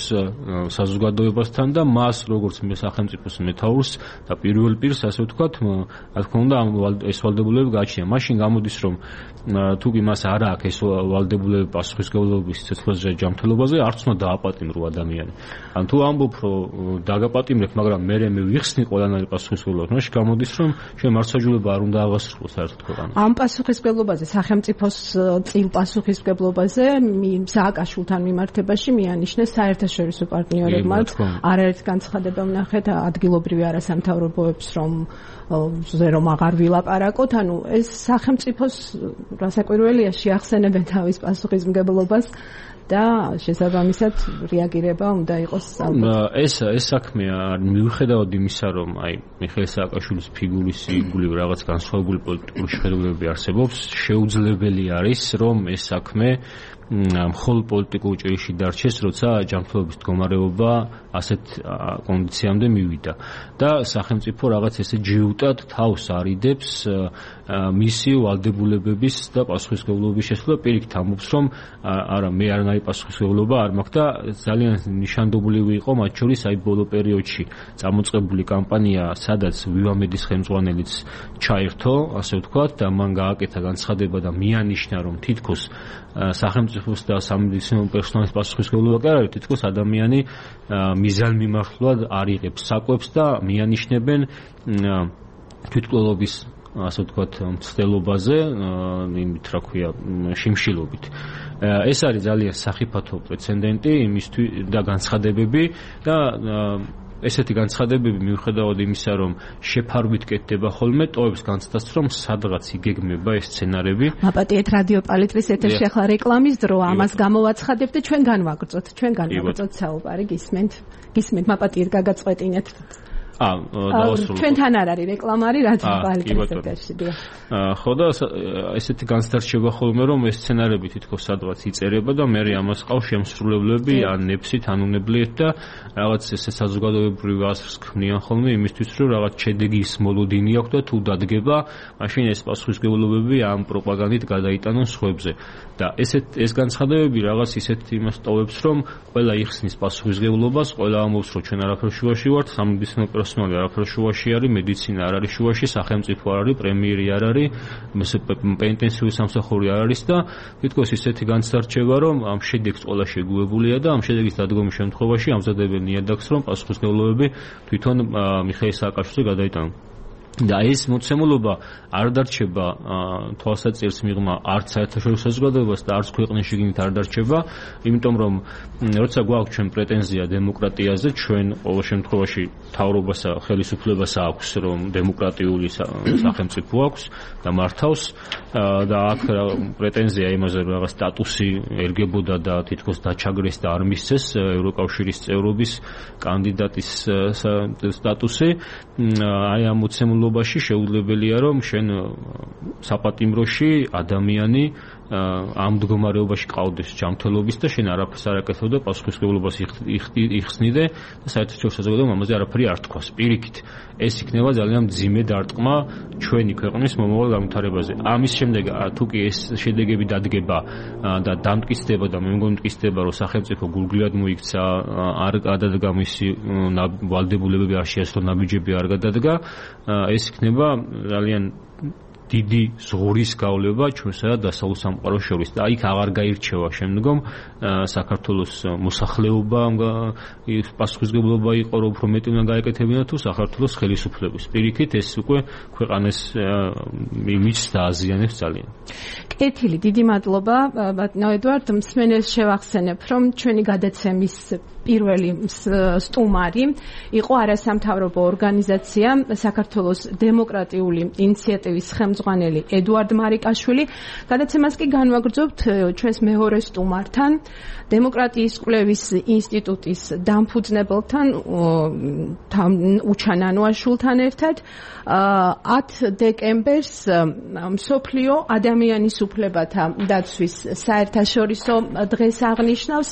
საზოგადოებასთან და მას როგორც სახელმწიფოს მეთაურს და პირველ პირს, ასე ვთქვათ, რა თქმა უნდა, ეს ვალდებულებები გააჩნია. მაშინ გამოდის, რომ თუ კი მას არ აქვს ეს ვალდებულებები პასუხისმგებლობის სიცოცხლეზე ჯანმრთელობაზე, არც უნდა დააპატიმრო ადამიანი. ან თუ ამბობ, რომ დაგაპატიმრებ, მაგრამ მე ვიხსნი ყველანაირ პასუხისმგებლობას, მაშინ გამოდის, რომ შენ მართლმსაჯულება არ უნდა აღასრულო საერთოდ ქვეყანაში. ამ პასუხისმგებლობაზე, სახელმწიფოს წილ პასუხისმგებლობაზე სააკაშვილთან მიმართებაში მიანიშნეს საერთაშორისო პარტნიორებმა არაერთი განცხადება ვნახეთ ადგილობრივი არასამთავრობოებს, რომ აღარ ვილაპარაკოთ, ანუ ეს სახელმწიფოს რასაკვირველია შეახსენებენ თავის პასუხისმგებლობას და შესაბამისად რეაგირება უნდა იყოს. ეს საქმეა მიუხედავად იმისა, რომ აი მიხეილ სააკაშვილის ფიგურის იგულივ რაღაც განსხვავებული პოლიტიკური შეხედულებები არსებობს, შეუძლებელი არის, რომ ეს საქმე მხოლოდ პოლიტიკურ ჭრილში დარჩეს, როცა ჯანმრთელობის მდგომარეობა ასეთ კონდიციამდე მივიდა და სახელმწიფო რაღაც ესე ჯიუტად თავს არიდებს მისი ვალდებულებების და პასუხისმგებლობის შესრულება. პირიქით ამბობს, რომ არა, მე არანაირი პასუხისმგებლობა არ მაქვს და ძალიან ნიშანდობლივი იყო მათ შორის აი ბოლო პერიოდში წამოწყებული კამპანია, სადაც ვივამედის ხელმძღვანელიც ჩაერთო, ასე ვთქვათ, და მან გააკეთა განცხადება და მიანიშნა, რომ თითქოს სახელმწიფოს და სამედიცინო პერსონალის პასუხისმგებლობა კი არ არის, თითქოს ადამიანი მიზანმიმართულად არ იღებს საკვებს და მიანიშნებენ თვითმკვლელობის, ასე ვთქვათ, მცდელობაზე, იმით რა ქვია, შიმშილობით. ეს არის ძალიან სახიფათო პრეცედენტი იმისთვის და განცხადებები და ესეთი განცხადებები მიუხედავად იმისა, რომ შეფარვით კეთდება ხოლმე, ტოვებს განცდას, რომ სადღაც იგეგმება ეს სცენარები. მაპატიეთ რადიო პალიტრის ეთერში ახლა რეკლამის დრო, ამას გამოვაცხადებთ და ჩვენ განვაგრძოთ საუბარი, გისმენთ, მაპატიეთ გაგაწყვეტინეთ. ჩვენთან არ არის რეკლამა, არის რადიო პალიტრის ეთერში. ხო და ესეთი განსდარჩება ხოლმე, რომ ეს სცენარები თითქოს სადღაც იწერება და მე ამას ყავს შემსრულებლები ან ნეფსით, ან უნებლიეთ და რაღაც ესე საზოგადოებრივ აზრს ქმნიან ხოლმე იმისთვის, რომ რაღაც შედეგის მოლოდინი აქვს და თუ დადგება, მაშინ ეს პასუხისმგებლობები ამ პროპაგანდით გადაიტანონ სხვებზე. და ეს განცხადებები რაღაც ისეთ იმას ტოვებს, რომ ყველა იხსნის პასუხისმგებლობას, ყველა ამბობს, რომ ჩვენ არაფერ შუაში ვართ, სამედიცინო პერსონალი არაფერ შუაში არის, მედიცინა არ არის შუაში, სახელმწიფო არ არის, პრემიერი არ არის, პენიტენციური სამსახური არ არის და თითქოს ისეთი განსდარჩება, რომ ამ შედეგს ყველა შეგუებულია და ამ შედეგის დადგომის შემთხვევაში ამზადებენ ნიადაგს, რომ პასუხისმგებლობები თვითონ მიხეილ სააკაშვილზე გადაიტანონ. და ეს მოცემულობა არ დარჩება თვალსაჩინოს მიღმა არც საერთაშორისო საზოგადოებას და არც ქვეყნის შიგნით არ დარჩება, იმიტომ რომ როცა გვაქვს ჩვენ პრეტენზია დემოკრატიაზე, ჩვენ ყოველ შემთხვევაში მთავრობასა ხელისუფლებას აქვს, რომ დემოკრატიული სახელმწიფო აქვს და მართავს და აქ პრეტენზია იმაზე რომ რაღაც სტატუსი ერგებოდა და თითქოს დაჩაგრეს და არ მისცეს ევროკავშირის წევრობის კანდიდატის სტატუსი, აი ამ მოცემულობაში შეუძლებელია რომ შენ საპატიმროში ადამიანი ამ მდგომარეობაში ყავდეს ჯანმრთელობის და შენ არაფერს არ აკეთებ და პასუხისმგებლობას იხსნიდე და საერთაშორისო საზოგადოებამ ამაზე არაფერი არ თქვას. პირიქით, ეს იქნება ძალიან მძიმე დარტყმა ჩვენი ქვეყნის მომავალ განვითარებაზე. ამის შემდეგ თუ კი ეს შედეგები დადგება და დამტკიცდება და მე მგონი მტკიცდება, რომ სახელმწიფო გულგრილად მოიქცა, არ გადადგა მისი ვალდებულებები, არ შეასრულა ნაბიჯები არ გადადგა, ეს იქნება ძალიან დიდი ზღურის გავლება ჩვენსა და დასავლურ სამყაროს შორის და იქ აღარ გაირჩევა შემდგომ საქართველოს მოსახლეობა პასუხისმგებლობა იყო რომ უფრო მეტი უნდა გაეკეთებინა თუ საქართველოს ხელისუფლების. პირიქით ეს უკვე ქვეყანას იმიჯს დააზიანებს ძალიან. კეთილი, დიდი მადლობა ბატონო ედვარდ. მსმენელს შევახსენებ, რომ ჩვენი გადაცემის პირველი სტუმარი იყო არასამთავრობო ორგანიზაცია საქართველოს დემოკრატიული ინიციატივის ხელმძღვანელი ედვარდ მარიკაშვილი. გადაცემას კი განვაგრძობთ ჩვენს მეორე სტუმართან, დემოკრატიის კვლევის ინსტიტუტის დამფუძნებელთან უჩან ანუაშვილთან ერთად. 10 დეკემბერს მსოფლიო ადამიანის უფლებათა დაცვის საერთაშორისო დღეს აღნიშნავს.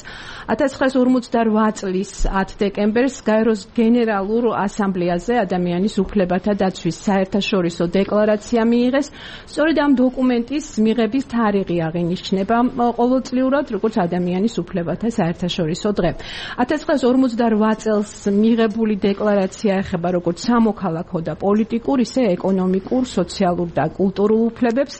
1958 წლის 10 დეკემბერს გაეროს გენერალურ ასამბლეაზე ადამიანის უფლებათა დაცვის საერთაშორისო დეკლარაცია მიიღეს. სწორედ ამ დოკუმენტის მიღების თარიღი აღინიშნება ყოველწლიურად როგორც ადამიანის უფლებათა საერთაშორისო დღე. 1958 წელს მიღებული დეკლარაცია ეხება როგორც სამოქალაქო და პოლიტიკურ, ისე ეკონომიკურ, სოციალურ და კულტურულ უფლებებს.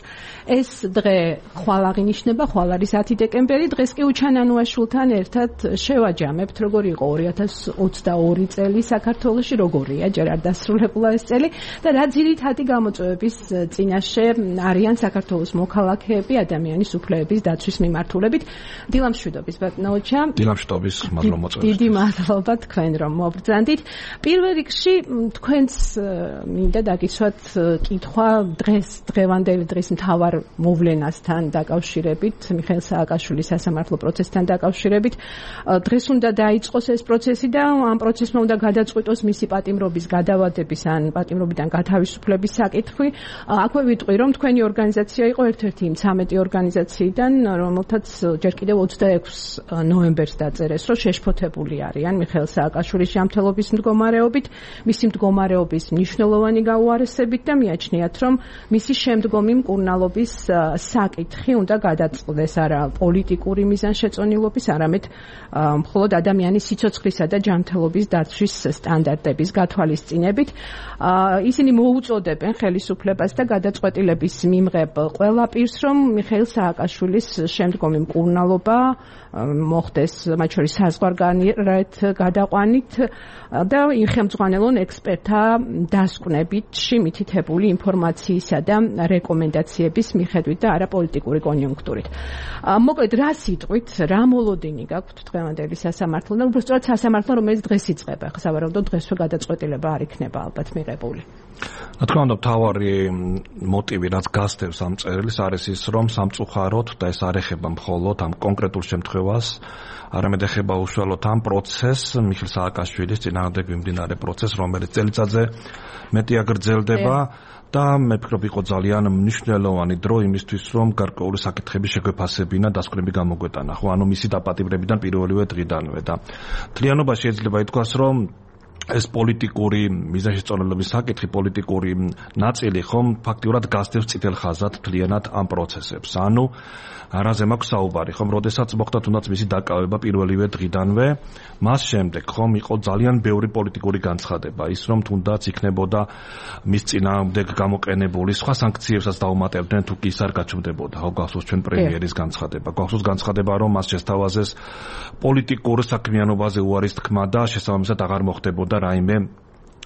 ეს დღე ხვალ აღინიშნება, ხვალ არის 10 დეკემბერი. დღეს კი უჩან ანუაშვილთან ერთად შევაჯამებთ, როგორი იყო 2022 წელი საქართველოში, როგორია, ჯერ არ დასრულებულა ეს წელი და რა ძირითადი გამოწვევების წინაშე არიან საქართველოს მოქალაქეები ადამიანის უფლებების დაცვის მიმართულებით. დილამშვიდობის ბატონო ოჩა. დილამშვიდობის, მადლობა მოწვევით. დიდი მადლობა თქვენ რომ მობრძანდით. პირველ რიგში თქვენს მინდა დაგიცვათ კითხვა დღევანდელი დღის მთავარ მოვლენასთან დაკავშირებით, მიხეილ სააკაშვილის სასამართლო პროცესთან დაკავშირებით. დღეს უნდა დაიწყოს ეს პროცესი და ამ პროცესმა უნდა გადაწყვიტოს მისი პატიმრობის გადავადების ან პატიმრობიდან გათავისუფლების საკითხი. აქვე ვიტყვი, რომ თქვენი ორგანიზაცია იყო ერთ-ერთი იმ 13 ორგანიზაციიდან, რომელთაც ჯერ კიდევ 26 ნოემბერს დაწერეს, რომ შეშფოთებული არიან მიხეილ სააკაშვილის ჯანმრთელობის მდგომარეობით, მისი მდგომარეობის მნიშვნელოვანი გაუარესებით და მიაჩნიათ, რომ მისი შემდგომი მკურნალობის საკითხი უნდა გადაწყდეს არა პოლიტიკური მიზანშეწონილობის, არამედ მხოლოდ ადამიანის სიცოცხლისა და ჯანმრთელობის დაცვის სტანდარტების გათვალისწინებით. ისინი მოუწოდებენ ხელისუფლებას და გადაწყვეტილების მიმღებ ყველა პირს, რომ მიხეილ სააკაშვილის შემდგომი მკურნალობა მოხდეს, მათ შორის საზღვარგარეთ გადაყვანით და ხელმძღვანელონ ექსპერტთა დასკვნებითში მითითებული ინფორმაციისა და რეკომენდაციების მიხედვით და არა პოლიტიკური კონიუნქტურით. მოკლედ, რა სიტყვით, რა მოლოდინი გაქვთ დღევანდელი სასამართლოდან, უბრალოდ სასამართლო, რომელიც დღეს იწყება, ხა სავარაუდოდ დღესვე გადაწყვეტილება არ იქნება ალბათ მიღებული. რა თქმა უნდა, მთავარი მოტივი, რაც გასდევს ამ წერილის, არის ის, რომ სამწუხაროდ და ეს არ ეხება მხოლოდ ამ კონკრეტულ შემთხვევას, არამედ ეხება უშუალოდ ამ პროცესს, მიხეილ სააკაშვილის წინააღმდეგ მიმდინარე პროცესს, რომელიც წელიწადზე მეტია გრძელდება. და მე ვფიქრობ, იყო ძალიან მნიშვნელოვანი დრო იმისთვის, რომ გარკვეული საკითხები შეგვეფასებინა, დასკვნები გამოგვეტანა. ხო, ანუ მისი დაპატიმრებიდან პირველივე დღიდანვე და მთლიანობაში შეიძლება ითქვას, რომ ეს პოლიტიკური მიზანშეწონილობის საკითხი, პოლიტიკური ნაწილი ხომ ფაქტიურად გასდევს წითელ ხაზად მთლიანად ამ პროცესებს. ანუ რაზე მაქვს საუბარი, ხომ, როდესაც მოხდა თუნდაც მისი დაკავება პირველივე დღიდანვე, მას შემდეგ ხომ იყო ძალიან ბევრი პოლიტიკური განცხადება, ის რომ თუნდაც იქნებოდა მის წინააღმდეგ გამოყენებული სხვა სანქციებსაც დაუმატებდნენ, თუ კი ის არ გაჩნდებოდა. ხო, გახსოვს ჩვენ პრემიერის განცხადება. გახსოვს განცხადება, რომ მას შესთავაზეს პოლიტიკურ საქმიანობაზე უარის თქმა და შესაბამისად აღარ მოხდებოდა რაიმე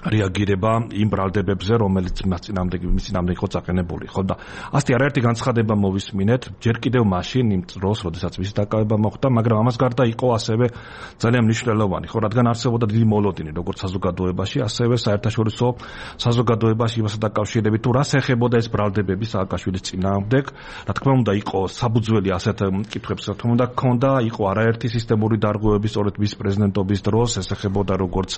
რეაგირება იმ ბრალდებებზე, რომელიც მას წინამდე იყო წაყენებული, ხო და ასეთი არაერთი განცხადება მოვისმინეთ, ჯერ კიდევ მაშინ იმ დროს, როდესაც მისი დაკავება მოხდა, მაგრამ ამას გარდა იყო ასევე ძალიან მნიშვნელოვანი, ხო, რადგან არსებობდა დიდი მოლოდინი, როგორც საზოგადოებაში, ასევე საერთაშორისო საზოგადოებაში იმასთან დაკავშირებით, თუ რას ეხებოდა ეს ბრალდებები სააკაშვილის წინააღმდეგ, რა თქმა უნდა, იყო საბუძველი ასეთ კითხვებს, რა თქმა უნდა, ჰქონდა, იყო არაერთი სისტემური დარღვევები, სწორედ მის პრეზიდენტობის დროს, ეს ეხებოდა როგორც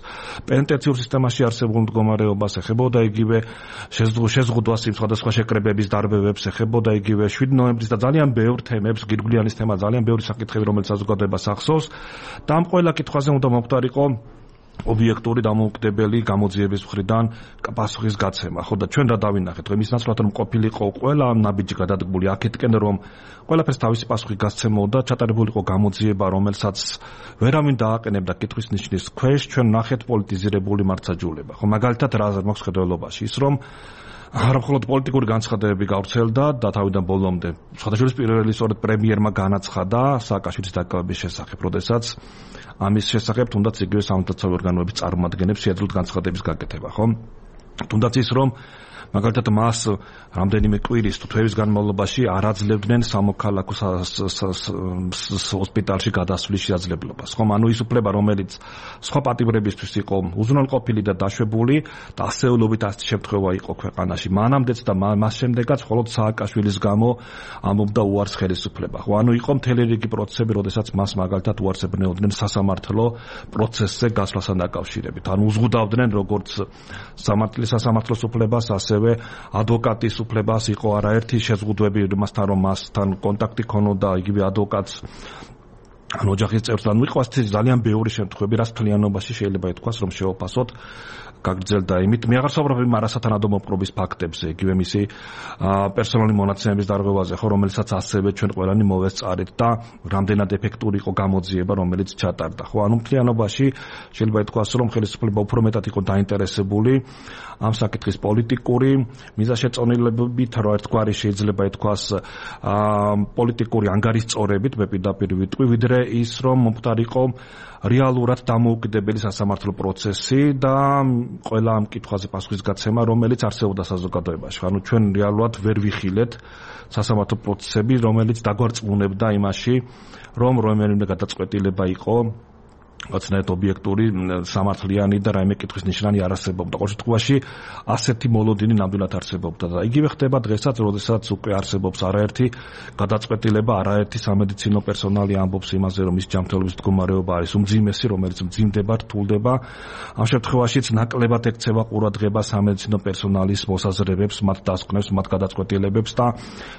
პენტენციურ სისტემაში არსებულ მდგომარეობას, ეხებოდა იგივე შეზღუდვას იმ სხვადასხვა შეკრებების დარბევებს, ეხებოდა იგივე 7 ნოემბრის და ძალიან ბევრ თემებს, გირგვლიანის თემა, ძალიან ბევრი საკითხები, რომელიც საზოგადოებას ახსოვს და ამ ყველა კითხვაზე უნდა მოხდარიყო ობიექტური დამოუკიდებელი გამოძიების მხრიდან პასუხის გაცემა. ხო და ჩვენ რა დავინახეთ, რომ ის ნაცვლად რომ ყოფილიყო ყველა ნაბიჯი გადადგმული აქეთკენ, რომ ყველაფერს თავისი პასუხი გასცემოდა, ჩატარებულიყო გამოძიება, რომელსაც ვერავინ დააყენებდა კითხვის ნიშნის ქვეშ, ჩვენ ნახეთ პოლიტიზირებული მართლმსაჯულება. ხო მაგალითად რა მაქვს ხედველობაში ის, რომ არა მხოლოდ პოლიტიკური განცხადებები გავრცელდა და თავიდან ბოლომდე სხვადასხვა პირველი სწორედ პრემიერმა განაცხადა სააკაშვილის დაკავების შესახებ, როდესაც ამის შესახებ თუნდაც იგივე სამართლებრივი ორგანოების წარმომადგენლებს შეეძლოთ განცხადების გაკეთება, ხო? თუნდაც ის, რომ მაგალითად მას რამდენიმე კვირის თუ თვეების განმავლობაში არ აძლევდნენ სამოქალაქო ჰოსპიტალში გადასვლის შესაძლებლობას. ხომ, ანუ ის უფლება, რომელიც სხვა პატიმრებისთვის იყო უზრუნველყოფილი და დაშვებული და ასეულობით ასეთი შემთხვევა იყო ქვეყანაში. მანამდეც და მას შემდეგაც მხოლოდ სააკაშვილის გამო ამობდა უარს ხელისუფლება. ხო, ანუ იყო მთელი რიგი პროცესები, როდესაც მას მაგალითად უარს ებნეოდნენ სასამართლო პროცესზე გასვლასთან დაკავშირებით. ანუ უზღუდავდნენ როგორც სასამართლოს უფლებას, ასევე ადვოკატის უფლებას, იყო არაერთი შეზღუდვები მასთან, რომ მასთან კონტაქტი ქონოდა იგივე ადვოკატს ან ოჯახის წევრს, ანუ იყო ასეთი ძალიან ბევრი შემთხვევები, რაც მთლიანობაში შეიძლება ითქვას, რომ შეოფასოთ გაგრძელდა იმით. მე აღარ საუბრობ იმ არასათანადო მოპყრობის ფაქტებზე, იგივე მისი პერსონალური მონაცემების დარღვევაზე, ხო, რომელსაც ასევე ჩვენ ყველანი მოვესწარით და რამდენად ეფექტური იყო გამოძიება, რომელიც ჩატარდა. ხო, ანუ მთლიანობაში შეიძლება ითქვას, რომ ხელისუფლება უფრო მეტად იყო დაინტერესებული ამ საკითხის პოლიტიკური მიზანშეწონილებით, რა ერთგვარი შეიძლება ითქვას პოლიტიკური ანგარიშწორებით, მე პირდაპირ ვიტყვი, ვიდრე ის, რომ მომხდარიყო რეალურად დამოუკიდებელი სასამართლო პროცესი და ყველა ამ კითხვაზე პასუხის გაცემა, რომელიც არსებობდა საზოგადოებაში. ანუ ჩვენ რეალურად ვერ ვიხილეთ სასამართლო პროცესები, რომელიც დაგვარწმუნებდა იმაში, რომ რომელიმე გადაწყვეტილება იყო ოცნაირად ობიექტური, სამართლიანი და რაიმე კითხვის ნიშანი არ არსებობდა. ყოველ შემთხვევაში ასეთი მოლოდინი ნამდვილად არსებობდა და იგივე ხდება დღესაც, როდესაც უკვე არსებობს არაერთი გადაწყვეტილება, არაერთი სამედიცინო პერსონალი ამბობს იმაზე, რომ ის ჯანმრთელობის მდგომარეობა არის უმძიმესი, რომელიც მძიმდება, რთულდება. ამ შემთხვევაშიც ნაკლებად ექცევა ყურადღება სამედიცინო პერსონალის მოსაზრებებს, მათ დასკვნებს, მათ გადაწყვეტილებებს და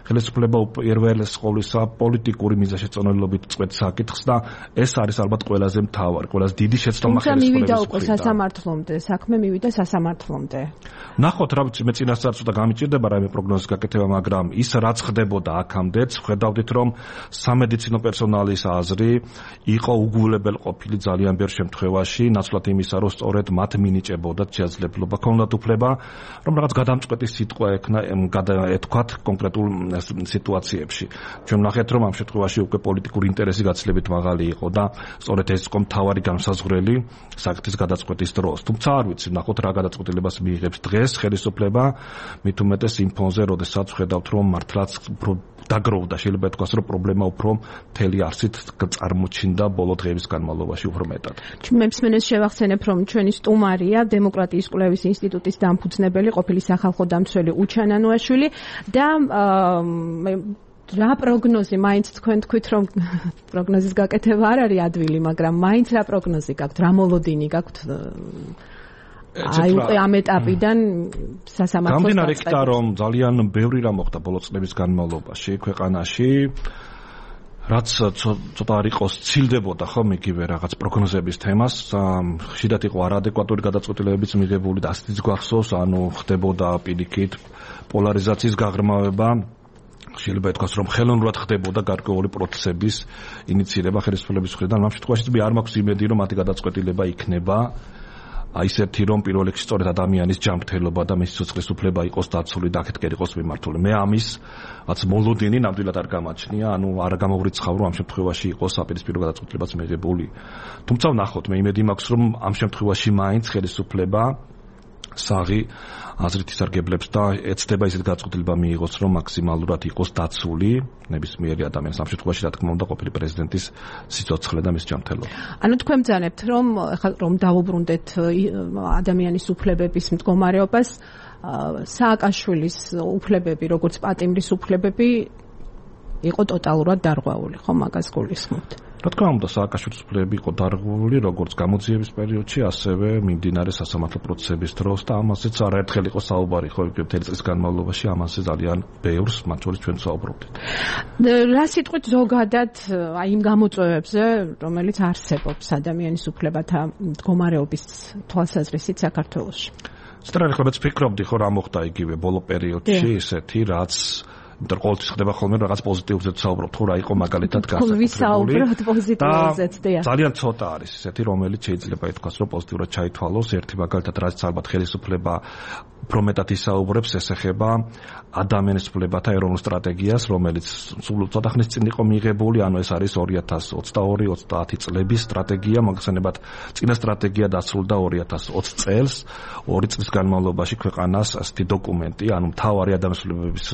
ხელისუფლება პირველეს ყოვლისა პოლიტიკური მიზანშეწონილობით წყვეტს საკითხს და ეს არის ალბათ ყველაზე მთავარი, ყველაზე დიდი შეცდომა ხელისუფლების მხრიდან. სასამართლომდე, საქმე მივიდა სასამართლომდე. ნახოთ, რა ვიცი, მე წინასწარ ცოტა გამიჭირდება რაიმე პროგნოზის გაკეთება, მაგრამ ის რაც ხდებოდა აქამდეც, ხედავდით, რომ სამედიცინო პერსონალის აზრი იყო უგულებელყოფილი ძალიან ბევრ შემთხვევაში, ნაცვლად იმისა, რომ სწორედ მათ მინიჭებოდათ შესაძლებლობა, ქონდათ უფლება, რომ რაღაც გადამწყვეტი სიტყვა ეთქვათ კონკრეტულ სიტუაციებში. ჩვენ ვნახეთ, რომ ამ შემთხვევაში უკვე პოლიტიკური ინტერესი გაცილებით მაღალი იყო და სწორედ ეს იყო მთავარი განსაზღვრელი საკითხის გადაწყვეტის დროს. თუმცა არ ვიცი, ნახოთ რა გადაწყვეტილებას მიიღებს დღეს ხელისუფლება, მით უმეტეს იმ ფონზე, როდესაც ხედავთ, რომ მართლაც დაგროვდა, შეიძლება ითქვას, რომ პრობლემა უფრო მთელი არსით წარმოჩინდა ბოლო დღეების განმავლობაში უფრო მეტად. მემსმენელს შევახსენებ, რომ ჩვენი სტუმარია დემოკრატიის კვლევის ინსტიტუტის დამფუძნებელი, ყოფილი სახალხო დამცველი უჩან ანუაშვილი და რა პროგნოზი, მაინც თქვენ თქვით, რომ პროგნოზის გაკეთება არ არის ადვილი, მაგრამ მაინც რა პროგნოზი გაქვთ, რა მოლოდინი გაქვთ? აი უკვე ამ ეტაპიდან სასამართლოს გამდინარე იქიდან, რომ ძალიან ბევრი რამ მოხდა ბოლო წლების განმავლობაში ქვეყანაში, რაც ცოტა არ იყოს ცილდებოდა ხომ იგივე რაღაც პროგნოზების თემას, ხშირად იყო არაადეკვატური გადაწყვეტილებების მიღებული და ასეთიც გვახსოვს, ანუ ხდებოდა პირიქით პოლარიზაციის გაღრმავება, შეიძლება ითქვას, რომ ხელოვნურად ხდებოდა გარკვეული პროცესების ინიციირება ხელისუფლების მხრიდან. ამ შემთხვევაში მე არ მაქვს იმედი, რომ მათი გადაწყვეტილება იქნება ისეთი, რომ პირველ რიგში სწორედ ადამიანის ჯანმრთელობა და მისი სიცოცხლის უფლება იყოს დაცული და აქეთკენ იყოს მიმართული. მე ამის რაც მოლოდინი ნამდვილად არ გამაჩნია, ანუ არ გამოვრიცხავ, რომ ამ შემთხვევაში იყოს საპირისპირო გადაწყვეტილებაც მიღებული. თუმცა ვნახოთ, მე იმედი მაქვს, რომ ამ შემთხვევაში მაინც ხელისუფლება საღი აზრით ისარგებლებს და ეცდება ისეთ გაწყვეტილება მიიღოს, რომ მაქსიმალურად იყოს დაცული ნებისმიერი ადამიანის, ამ შემთხვევაში რა თქმა უნდა ყოფილი პრეზიდენტის სიცოცხლე და მის ჯანმრთელობა. ანუ თქვენ ბრძანებთ, რომ დავუბრუნდეთ ადამიანის უფლებების მდგომარეობას, სააკაშვილის უფლებები, როგორც პატიმრის უფლებები იყო ტოტალურად დარღვეული, ხო, მაგას გულისხმობთ? რა თქმა უნდა, სააკაშვილის უფლებები იყო დარღვეული როგორც გამოძიების პერიოდში, ასევე მიმდინარე სასამართლო პროცესების დროს და ამასაც არაერთხელ იყო საუბარი, ხო, მთელი წლის განმავლობაში ამაზე ძალიან ბევრს, მათ შორის ჩვენ ვსაუბრობდით. რა სიტყვით ზოგადად აი იმ გამოწვევებზე, რომელიც არსებობს ადამიანის უფლებათა მდგომარეობის თვალსაზრისით საქართველოში? სწორედ ვფიქრობდი, ხო, რა მოხდა იგივე ბოლო პერიოდში, ისეთი, რაც იმიტომ ყოველთვის ხდება ხოლმე რაღაც პოზიტიურზე ვსაუბრობთ, თუ რა იყო მაგალითად გასაკუთრებული. ვისაუბროთ პოზიტიურზეც, დიახ. ძალიან ცოტა არის ისეთი, რომელიც შეიძლება ითქვას, რომ პოზიტიურად ჩაითვალოს. ერთი მაგალითად, რაც ალბათ ხელისუფლება უფრო მეტად ისაუბრებს, ეს ეხება ადამიანის უფლებათა ეროვნულ სტრატეგიას, რომელიც სულ ცოტა ხნის წინ იყო მიღებული, ანუ ეს არის 2022-30 წლების სტრატეგია, მაგალითად, წინა სტრატეგია დასრულდა 2020 წელს, 2 წლის განმავლობაში ქვეყანას ასეთი დოკუმენტი, ანუ მთავარი ადამიანის უფლებების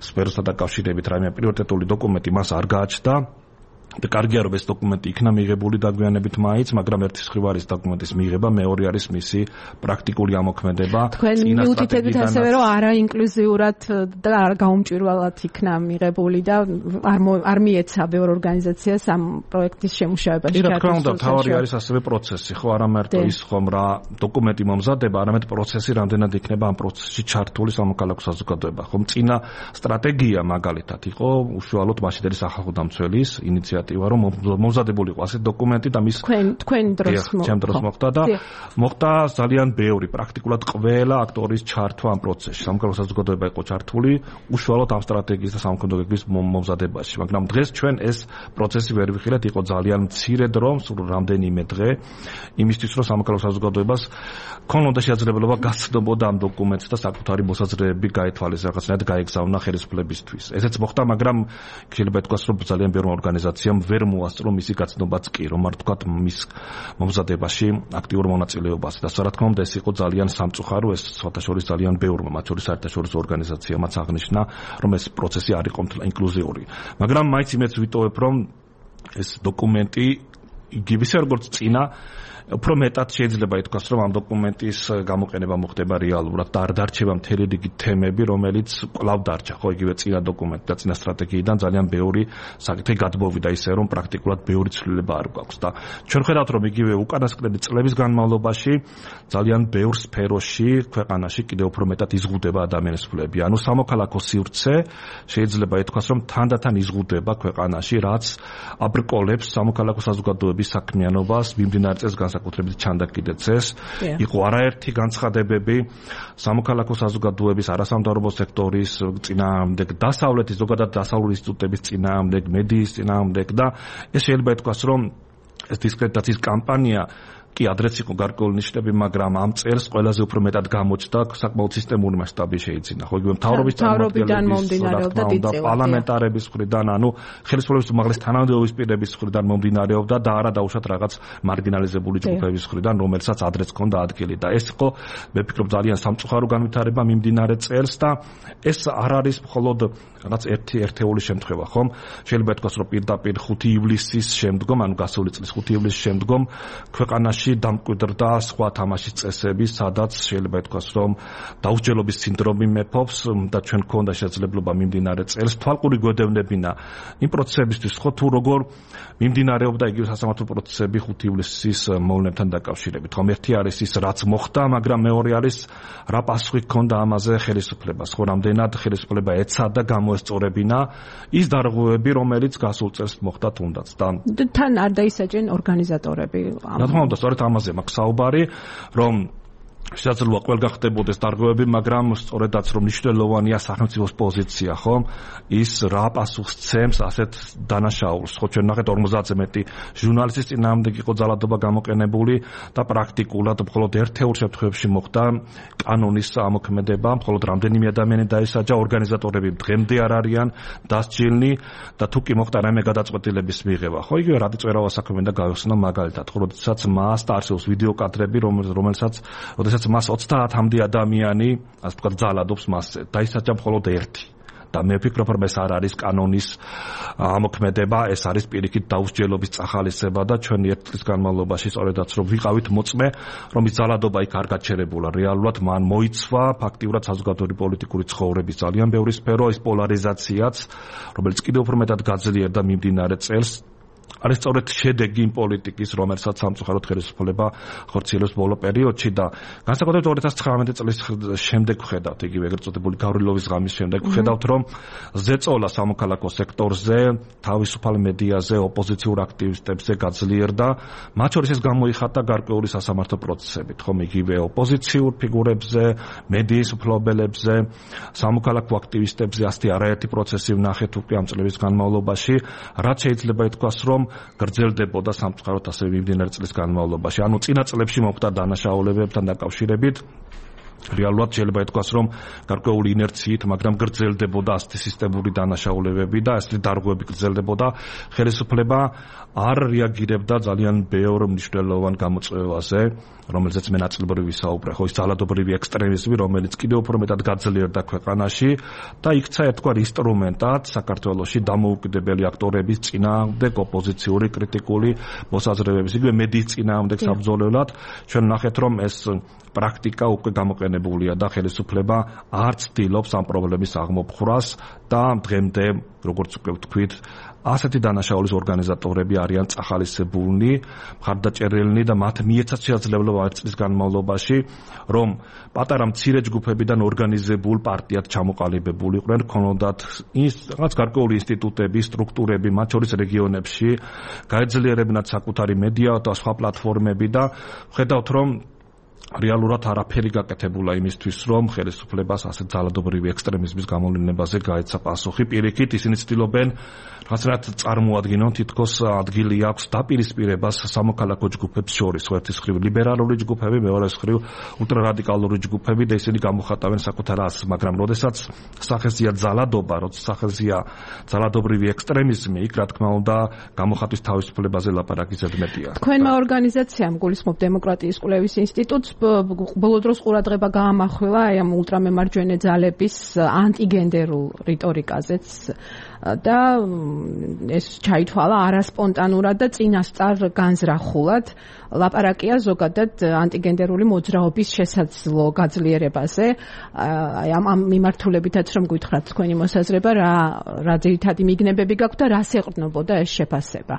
სფეროსთან დაკავშირებით რაიმე პრიორიტეტული დოკუმენტი მას არ გააჩნდა. და კარგია რომ ეს დოკუმენტი იქნა მიღებული დაგვიანებით მაინც, მაგრამ ერთის მხრივ არის დოკუმენტის მიღება, მეორე არის მისი პრაქტიკული ამოქმედება. თქვენ მიუთითებით ასევე რომ არაინკლუზიურად და არ გაუმჭვირვალად იქნა მიღებული და არ მიეცა ბევრ ორგანიზაციას ამ პროექტის შემუშავებაში ჩართვას. რა თქმა უნდა, თავი არის ასევე პროცესი, ხო, არა მარტო ის ხომ რა დოკუმენტი მომზადება, არამედ პროცესი რამდენად იქნება ამ პროცესში ჩართული სამოქალაქო საზოგადოება. ხომ წინა სტრატეგია მაგალითად იყო უშუალოდ მაშინდელი სახალხო დამცველის ინიციატივა, რომ მომზადებული იყო ასეთი დოკუმენტი და მის თქვენ დროს მოხდა და მოხდა ძალიან ბევრი, პრაქტიკულად ყველა აქტორის ჩართვა ამ პროცესში. სამოქალაქო საზოგადოება იყო ჩართული უშუალოდ ამ სტრატეგიის და სამოქმედების მომზადებაში, მაგრამ დღეს ჩვენ ეს პროცესი ვერ ვიხილეთ, იყო ძალიან მცირე დრო, სულ რამდენიმე დღე იმისთვის, რომ სამოქალაქო საზოგადოებას ქონოდა შესაძლებლობა გაცნობოდა ამ დოკუმენტს და საკუთარი მოსაზრებები გაეთვალეს, რაღაცნაირად გაეგზავნა ხელისუფლებისთვის. ესეც მოხდა, მაგრამ შეიძლება ითქვას, რომ ძალიან ბევრი ორგანიზაცია ვერ მოასწრო მისი გაცნობაც კი, რომ არ თქვათ მის მომზადებაში აქტიურ მონაწილეობას. და რა თქმა უნდა, ეს იყო ძალიან სამწუხარო, ეს სხვათაშორის ძალიან ბევრმა, მათ შორის საერთაშორისო ორგანიზაციამაც აღნიშნა, რომ ეს პროცესი არ იყო ინკლუზიური. მაგრამ მაინც იმედს ვიტოვებ, რომ ეს დოკუმენტი იგივე როგორც წინა უფრო მეტად შეიძლება ითქვას, რომ ამ დოკუმენტის გამოყენება მოხდება რეალურად და არ დარჩება მთელი რიგი თემები, რომელიც კვლავ დარჩა, ხო, იგივე წინა დოკუმენტი და წინა სტრატეგიიდან ძალიან ბევრი საკითხი გადმოვიდა, ისე რომ პრაქტიკულად ბევრი ცვლილება არ გვაქვს და ჩვენ ხედავთ, რომ იგივე უკანასკნელი წლების განმავლობაში ძალიან ბევრ სფეროში ქვეყანაში კიდევ უფრო მეტად იზღუდება ადამიანის უფლებები. ანუ სამოქალაქო სივრცე შეიძლება ითქვას, რომ თანდათან იზღუდება ქვეყანაში, რაც აბრკოლებს სამოქალაქო საზოგადოების საქმიანობას მიმდინარე წელს საკუთრებით ჩანდაკიდეცეს. იყო არაერთი განცხადებები სამოქალაქო საზოგადოების, არასამთავრობო სექტორის წინააღმდეგ, დასავლეთის, ზოგადად დასავლური ინსტიტუტების წინააღმდეგ, მედიის წინააღმდეგ და ეს შეიძლება ითქვას, რომ ეს დისკრედიტაციის კამპანია კი ადრეც იყო გარკვეული ნიშნები, მაგრამ ამ წელს ყველაზე უფრო მეტად გამოჩნდა საკმაოდ სისტემური მასშტაბი შეიძინა. ხო, იგივე მთავრობის წარმომადგენლების, პარლამენტარების მხრიდან, ანუ ხელისუფლების უმაღლეს თანამდებობის პირების მხრიდან მომდინარეობდა და არა დაუშვათ რაღაც მარგინალიზებული ჯგუფების მხრიდან, რომელსაც ადრეც ჰქონდა ადგილი. და ეს იყო, მე ვფიქრობ, ძალიან სამწუხარო განვითარება მიმდინარე წელს და ეს არ არის მხოლოდ რაღაც ერთეული შემთხვევა, ხომ? შეიძლება ითქვას, რომ პირდაპირ 5 ივლისის შემდგომ, ანუ გასული წლის 5 ივლისის შემდგომ ქვეყანაში დამკვიდრდა სხვა თამაშის წესები, სადაც შეიძლება ითქვას, რომ დაუსჯელობის სინდრომი მეფობს და ჩვენ გქონდა შესაძლებლობა მიმდინარე წელს თვალყური გვედევნებინა იმ პროცესებისთვის, ხო, თუ როგორ მიმდინარეობდა იგივე სასამართლო პროცესები 5 ივლისის მოვლენებთან დაკავშირებით. ხომ ერთი არის ის, რაც მოხდა, მაგრამ მეორე არის რა პასუხი ჰქონდა ამაზე ხელისუფლებას, ხო, რამდენად ხელისუფლება ეცადა გამოესწორებინა ის დარღვევები, რომელიც გასულ წელს მოხდა თუნდაც. და თან არ დაისაჯენ ორგანიზატორები. რა თქმა უნდა, სწორედ ამაზე მაქვს საუბარი, რომ შესაძლოა ყველგან ხდებოდეს დარღვევები, მაგრამ სწორედაც რომ მნიშვნელოვანია სახელმწიფოს პოზიცია, ხო? ის რა პასუხს ცემს ასეთ დანაშაულს. ხო, ჩვენ ნახეთ 50-ზე მეტი ჟურნალისტის წინააღმდეგ იყო ძალადობა გამოყენებული და პრაქტიკულად მხოლოდ ერთეულ შემთხვევებში მოხდა კანონის ამოქმედება, მხოლოდ რამდენიმე ადამიანი დაისაჯა, ორგანიზატორები დღემდე არ არიან დასჯილნი და თუ კი მოხდა რაიმე გადაწყვეტილების მიღება. ხო, იგივე რადიწვერავას საქმე და გავიხსნა მაგალითად, როდესაც მას და არსებობს ვიდეო კადრები, რომელსაც როდესაც მას 30-მდე ადამიანი, ასე ვთქვათ, ძალადობს მასზე, დაისაჯა მხოლოდ ერთი. და მე ვფიქრობ, რომ ეს არ არის კანონის ამოქმედება, ეს არის პირიქით დაუსჯელობის წახალისება და ჩვენი ერთ წლის განმავლობაში სწორედაც რომ ვიყავით მოწმე, რომ ის ძალადობა იქ არ გაჩერებულა. რეალურად მან მოიცვა ფაქტიურად საზოგადოებრივი პოლიტიკური ცხოვრების ძალიან ბევრი სფერო, ის პოლარიზაციაც, რომელიც კიდევ უფრო მეტად გაძლიერდა მიმდინარე წელს. არის სწორედ შედეგი იმ პოლიტიკის, რომელსაც სამწუხაროდ ხელისუფლება ხორციელებს ბოლო პერიოდში და განსაკუთრებით 2019 წლის შემდეგ ვხედავთ, იგივე ეგრეთ წოდებული გავრილოვის ღამის შემდეგ ვხედავთ, რომ ზეწოლა სამოქალაქო სექტორზე, თავისუფალ მედიაზე, ოპოზიციურ აქტივისტებზე გაძლიერდა, მათ შორის ეს გამოიხატა გარკვეული სასამართლო პროცესებით, ხომ იგივე ოპოზიციურ ფიგურებზე, მედიის მფლობელებზე, სამოქალაქო აქტივისტებზე ასეთი არაერთი პროცესი ვნახეთ უკვე ამ წლების განმავლობაში, რაც შეიძლება ითქვას, რომ გრძელდებოდა სამწუხაროდ ასევე მიმდინარე წლის განმავლობაში. ანუ წინა წლებში მოხდა დანაშაულებებთან დაკავშირებით. რეალურად შეიძლება ითქვას, რომ გარკვეული ინერციით, მაგრამ გრძელდებოდა ასეთი სისტემური დანაშაულებები და ასეთი დარღვევები გრძელდებოდა. ხელისუფლება არ რეაგირებდა ძალიან ბევრ მნიშვნელოვან გამოწვევაზე, რომელზეც მე ნაწილობრივ ვისაუბრე, ხო, ის ძალადობრივი ექსტრემიზმი, რომელიც კიდევ უფრო მეტად გაძლიერდა ქვეყანაში და იქცა ერთგვარ ინსტრუმენტად საქართველოში დამოუკიდებელი აქტორების წინააღმდეგ ოპოზიციური კრიტიკული მოსაზრებების, იგივე მედიის წინააღმდეგ საბრძოლველად. ჩვენ ნახეთ, რომ ეს პრაქტიკა უკვე გამოყენებულია და ხელისუფლება არ ცდილობს ამ პრობლემის აღმოფხვრას და დღემდე, როგორც უკვე ვთქვით, ასეთი დანაშაულის ორგანიზატორები არიან წახალისებულნი, მხარდაჭერილნი და მათ მიეცათ შესაძლებლობა ერთ წლის განმავლობაში, რომ პატარა მცირე ჯგუფებიდან ორგანიზებულ პარტიად ჩამოყალიბებული იყვნენ, ქონოდათ რაღაც გარკვეული ინსტიტუტები, სტრუქტურები, მათ შორის რეგიონებში, გაეძლიერებინათ საკუთარი მედია და სხვა პლატფორმები და ხედავთ, რომ რეალურად არაფერი გაკეთებულა იმისთვის, რომ ხელისუფლებას ასეთ ძალადობრივი ექსტრემიზმის გამოვლენებაზე გაეცა პასუხი. პირიქით ისინი ცდილობენ რაღაცნაირად წარმოადგინონ, თითქოს ადგილი აქვს დაპირისპირებას სამოქალაქო ჯგუფებს შორის, ერთის მხრივ ლიბერალური ჯგუფები, მეორეს მხრივ ულტრარადიკალური ჯგუფები და ისინი გამოხატავენ საკუთარ ასს, მაგრამ როდესაც სახეზია ძალადობა, როცა სახეზია ძალადობრივი ექსტრემიზმი, იქ რა თქმა უნდა გამოხატვის თავისუფლებაზე ლაპარაკი ზედმეტია. თქვენმა ორგანიზაციამ გულისხმობ დემოკრატიის კვლევის ინსტიტუტს ბოლო დროს ყურადღება გაამახვილა აი ამ ულტრამემარჯვენე ძალების ანტიგენდერულ რიტორიკაზეც და ეს ჩაითვალა არასპონტანურად და წინასწარ განზრახულად. ლაპარაკია ზოგადად ანტიგენდერული მოძრაობის შესაძლო გაძლიერებაზე. აი ამ მიმართულებითაც რომ გითხრათ თქვენი მოსაზრება, რა ძირითადი მიგნებები გაქვთ და რას ეყრდნობოდა ეს შეფასება?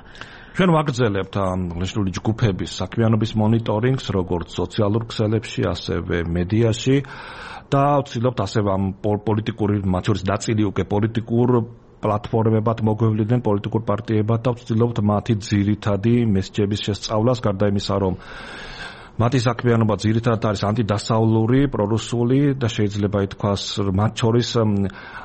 ჩვენ ვაგრძელებთ აღნიშნული ჯგუფების საქმიანობის მონიტორინგს, როგორც სოციალურ ქსელებში, ასევე მედიაში და ვცდილობთ ასევე ამ პოლიტიკური, მათ შორის ნაწილი უკვე პოლიტიკურ პლატფორმებად მოგვევლიდნენ პოლიტიკურ პარტიებად და ვცდილობთ მათი ძირითადი მესჯების შესწავლას, გარდა იმისა, რომ მათი საქმიანობა ძირითადად არის ანტიდასავლური, პრორუსული და შეიძლება ითქვას, მათ შორის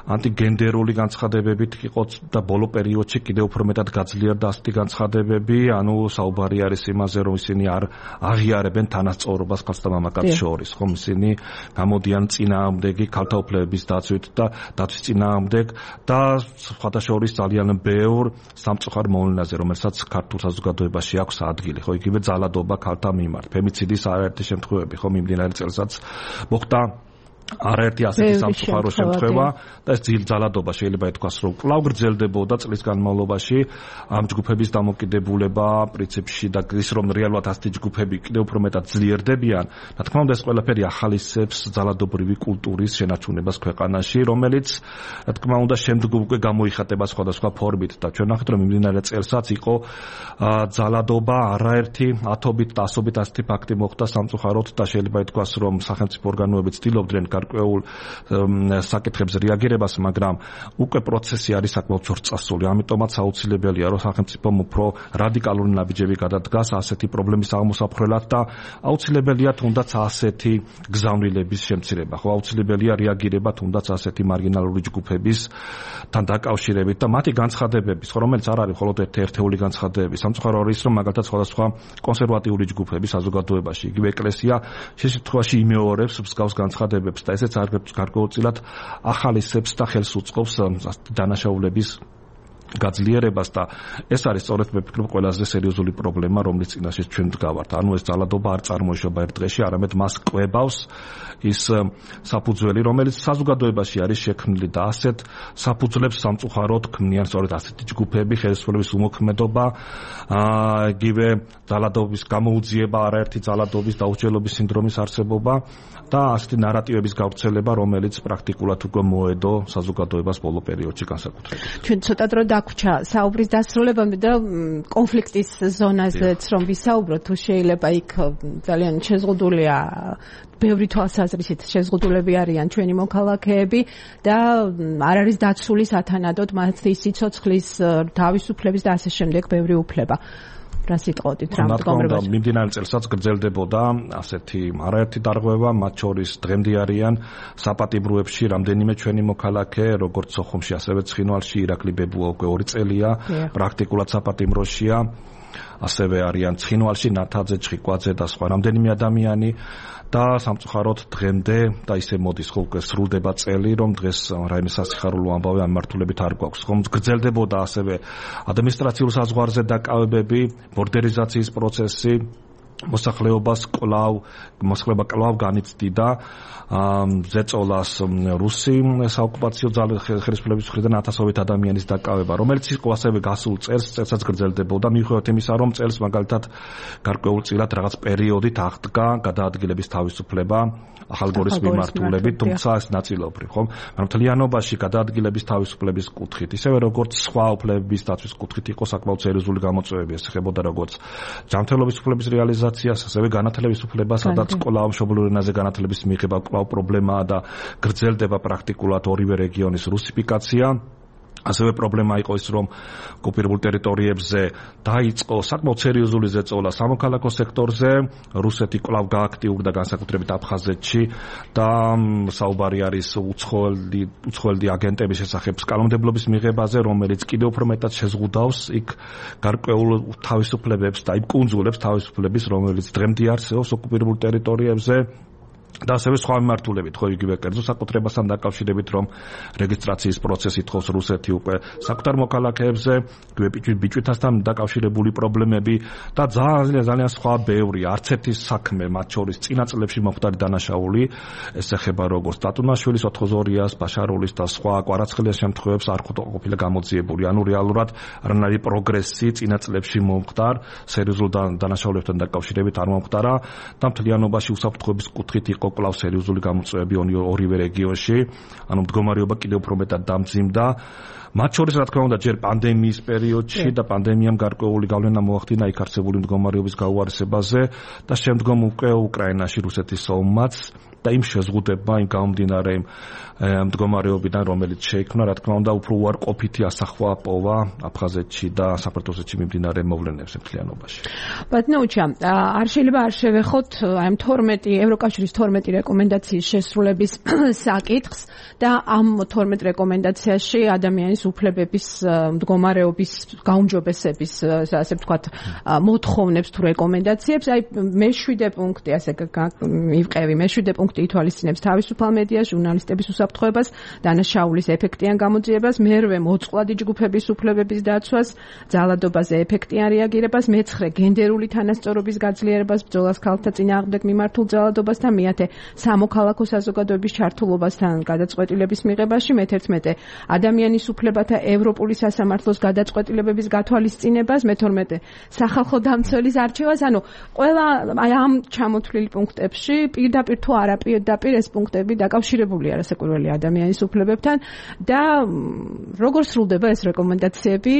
ანტიგენდერული განცხადებებით იყო და ბოლო პერიოდში კიდევ უფრო მეტად გაძლიერდა ასეთი განცხადებები, ანუ საუბარი არის იმაზე, რომ ისინი არ აღიარებენ თანასწორობას ქალსა და მამაკაცს შორის, ხომ ისინი გამოდიან წინააღმდეგი ქალთა უფლებების დაცვით და დაცვის წინააღმდეგ და სხვათა შორის ძალიან ბევრ სამწუხარ მოვლენაზე, რომელსაც ქართულ საზოგადოებაში აქვს ადგილი, ხო, იგივე ძალადობა ქალთა მიმართ, ფემიციდის არაერთი შემთხვევები, ხო, მიმდინარე წელსაც მოხდა არაერთი ასეთი სამწუხარო შემთხვევა და ეს ძალადობა შეიძლება ითქვას, რომ კვლავ გრძელდებოდა წლის განმავლობაში ამ ჯგუფების დამოკიდებულება პრინციპში და ის რომ რეალურად ასეთი ჯგუფები კიდევ უფრო მეტად ძლიერდებიან, რა თქმა უნდა ეს ყველაფერი ახალისებს ძალადობრივი კულტურის შენარჩუნებას ქვეყანაში, რომელიც რა თქმა უნდა შემდგომ უკვე გამოიხატება სხვადასხვა ფორმით და ჩვენ ნახეთ რომ მიმდინარე წელსაც იყო ძალადობა არაერთი ათობით და ასობით ასეთი ფაქტი მოხდა სამწუხაროდ და შეიძლება ითქვას რომ სახელმწიფო ორგანოები ცდილობდნენ გარკვეულ საკითხებზე რეაგირებას, მაგრამ უკვე პროცესი არის საკმაოდ ძორწასული. ამიტომაც აუცილებელია, რომ სახელმწიფომ უფრო რადიკალური ნაბიჯები გადადგას ასეთი პრობლემის აღმოსაფხრელად და აუცილებელია თუნდაც ასეთი გზავნილების შემცირება. ხო, აუცილებელია რეაგირება თუნდაც ასეთი მარგინალური ჯგუფებისთან დაკავშირებით და მათი განცხადებების, ხო, რომელიც არ არის მხოლოდ ერთეული განცხადებები. სამწუხარო არის, რომ მაგალითად სხვადასხვა კონსერვატიული ჯგუფები საზოგადოებაში, იგივე ეკლესია შესაძლოა იმეორებს მსგავს განცხადებებს და ესეც გარკვეულწილად ახალისებს და ხელს უწყობს დანაშაულების გაძლიერებას და ეს არის სწორედ მე ვფიქრობ ყველაზე სერიოზული პრობლემა, რომლის წინაშე ჩვენ ვდგავართ. ანუ ეს ძალადობა არ წარმოიშობა ერთ დღეში, არამედ მას კვებავს ის საფუძველი, რომელიც საზოგადოებაში არის შექმნილი და ასეთ საფუძვლებს სამწუხაროდ ქმნიან სწორედ ასეთი ჯგუფები, ხელისუფლების უმოქმედობა, იგივე ძალადობის გამოუძიება, არაერთი ძალადობის დაუსჯელობის სინდრომის არსებობა და ასეთი ნარატივების გავრცელება, რომელიც პრაქტიკულად უკვე მოედო საზოგადოებას ბოლო პერიოდში განსაკუთრებით. ჩვენ ცოტა დრო დაგვჭა საუბრის დასრულებამდე და კონფლიქტის ზონაზეც რომ ვისაუბროთ, თუ შეიძლება იქ ძალიან შეზღუდულია ბევრი თვალსაზრისით შეზღუდულები არიან ჩვენი მოქალაქეები და არ არის დაცული სათანადოდ მათი სიცოცხლის, თავისუფლების და ასე შემდეგ ბევრი უფლება. რა სიტყოდით რა მდგომარეობაში? მიმდინარე წელსაც გრძელდებოდა ასეთი არაერთი დარღვევა, მათ შორის დღემდე არიან საპატიმროებში რამდენიმე ჩვენი მოქალაქე, როგორც სოხუმში, ასევე ცხინვალში, ირაკლი ბებუა უკვე 2 წელია პრაქტიკულად საპატიმროშია. ასევე არიან ცხინვალში, ნათაძე, ჩხიკვაძე და სხვა რამდენიმე ადამიანი და სამწუხაროდ დღემდე და ისე მოდის ხოლმე სრულდება წელი, რომ დღეს რაიმე სასიხარულო ამბავი ამ მართულებით არ გვაქვს. ხომ გრძელდებოდა ასევე ადმინისტრაციულ საზღვარზე დაკავებები, ბორდერიზაციის პროცესი, მოსახლეობა კვლავ განიცდიდა ზეწოლას რუსი საოკუპაციო ხელისუფლების მხრიდან 1000-ობით ადამიანის დაკავება, რომელიც იყო ასევე გასულ წელსაც გრძელდებოდა, მიუხედავად იმისა, რომ წელს მაგალითად გარკვეულწილად რაღაც პერიოდით აღდგა გადაადგილების თავისუფლება ახალგორის მიმართულებით, თუმცა ეს ნაწილობრივ, ხომ? მაგრამ მთლიანობაში გადაადგილების თავისუფლების კუთხით, ისევე როგორც სხვა უფლებების დაცვის კუთხით იყო საკმაოდ სერიოზული გამოწვევები, ეს ეხებოდა როგორც ჯანმრთელობის უფლების რეალიზაციას, ასევე განათლების უფლებას, სადაც კვლავ მშობლიურ ენაზე განათლების მიღება კვლავ პრობლემაა და გრძელდება პრაქტიკულად ორივე რეგიონის რუსიფიკაცია. ასევე პრობლემა იყო ის, რომ ოკუპირებულ ტერიტორიებზე დაიწყო საკმაოდ სერიოზული ზეწოლა სამოქალაქო სექტორზე, რუსეთი კვლავ გააქტიურდა განსაკუთრებით აფხაზეთში და საუბარი არის უცხოელი აგენტების შესახებ კანონმდებლობის მიღებაზე, რომელიც კიდევ უფრო მეტად შეზღუდავს იქ გარკვეულ თავისუფლებებს და იმ კუნძულებს თავისუფლების, რომელიც დღემდე არსებობს ოკუპირებულ ტერიტორიებზე. და ასევე სხვა მიმართულებით, ხო იგივე კერძო საკუთრებასთან დაკავშირებით, რომ რეგისტრაციის პროცესი თხოვს რუსეთი უკვე საკუთარ მოქალაქეებზე, ბიჭვითასთან დაკავშირებული პრობლემები და ძალიან სხვა ბევრი, არც ერთი საქმე, მათ შორის წინა წლებში მომხდარი დანაშაული, ეს ეხება როგორც დატუნაშვილის, ოთხოზორიას, ბაშარულის და სხვა კვარაცხელიას შემთხვევებს არ ყოფილა გამოძიებული. ანუ რეალურად არანაირი პროგრესი წინა წლებში მომხდარ, სერიოზულ დანაშაულებთან დაკავშირებით არ მომხდარა და მთლიანობაში უსაფრთხოების კუთხით იყო კვლავ სერიოზული გამოწვევები ორივე რეგიონში, ანუ მდგომარეობა კიდევ უფრო მეტად დამძიმდა. მათ შორის რა თქმა უნდა ჯერ პანდემიის პერიოდში და პანდემიამ გარკვეული გავლენა მოახდინა იქ არსებული მდგომარეობის გაუარესებაზე და შემდგომ უკვე უკრაინაში რუსეთის ომმაც და იმ შეზღუდება, იმ გამომდინარე მდგომარეობიდან, რომელიც შეიქმნა, რა თქმა უნდა, უფრო უარყოფითი ასახვა პოვა აფხაზეთში და საფრთხოსეთში მიმდინარე მოვლენებს მთლიანობაში. ბატონოჩა, არ შეიძლება არ შევეხოთ აი 12 ევროკავშირის 12 რეკომენდაციის შესრულების საკითხს და ამ 12 რეკომენდაციაში ადამიანის უფლებების მდგომარეობის გაუმჯობესების, ასე ვთქვათ, მოთხოვნებს თუ რეკომენდაციებს, აი მე-7 პუნქტი, ასე მივყევი, მე-7 პუნქტი ითვალისწინებს თავისუფალ მედიას, ჟურნალისტების უსაფრთხოებას, დანაშაულის ეფექტიან გამოძიებას, მერვე მოწყვლადი ჯგუფების უფლებების დაცვას, ძალადობაზე ეფექტიან რეაგირებას, მე-9 გენდერული თანასწორობის გაძლიერებას, ბრძოლას ქალთა წინააღმდეგ მიმართულ ძალადობასთან, მე-10 სამოქალაქო საზოგადოების ჩართულობასთან გადაწყვეტილების მიღებაში, მე-11 ადამიანის უფლებათა ევროპული სასამართლოს გადაწყვეტილებების გათვალისწინებას, მე-12 სახალხო დამცველის არჩევას, ანუ ყველა აი ამ ჩამოთვლილი პუნქტებში პირდაპირ თუ არა პირდაპირ ეს პუნქტები დაკავშირებულია რასაკვირველია ადამიანის უფლებებთან და როგორ სრულდება ეს რეკომენდაციები,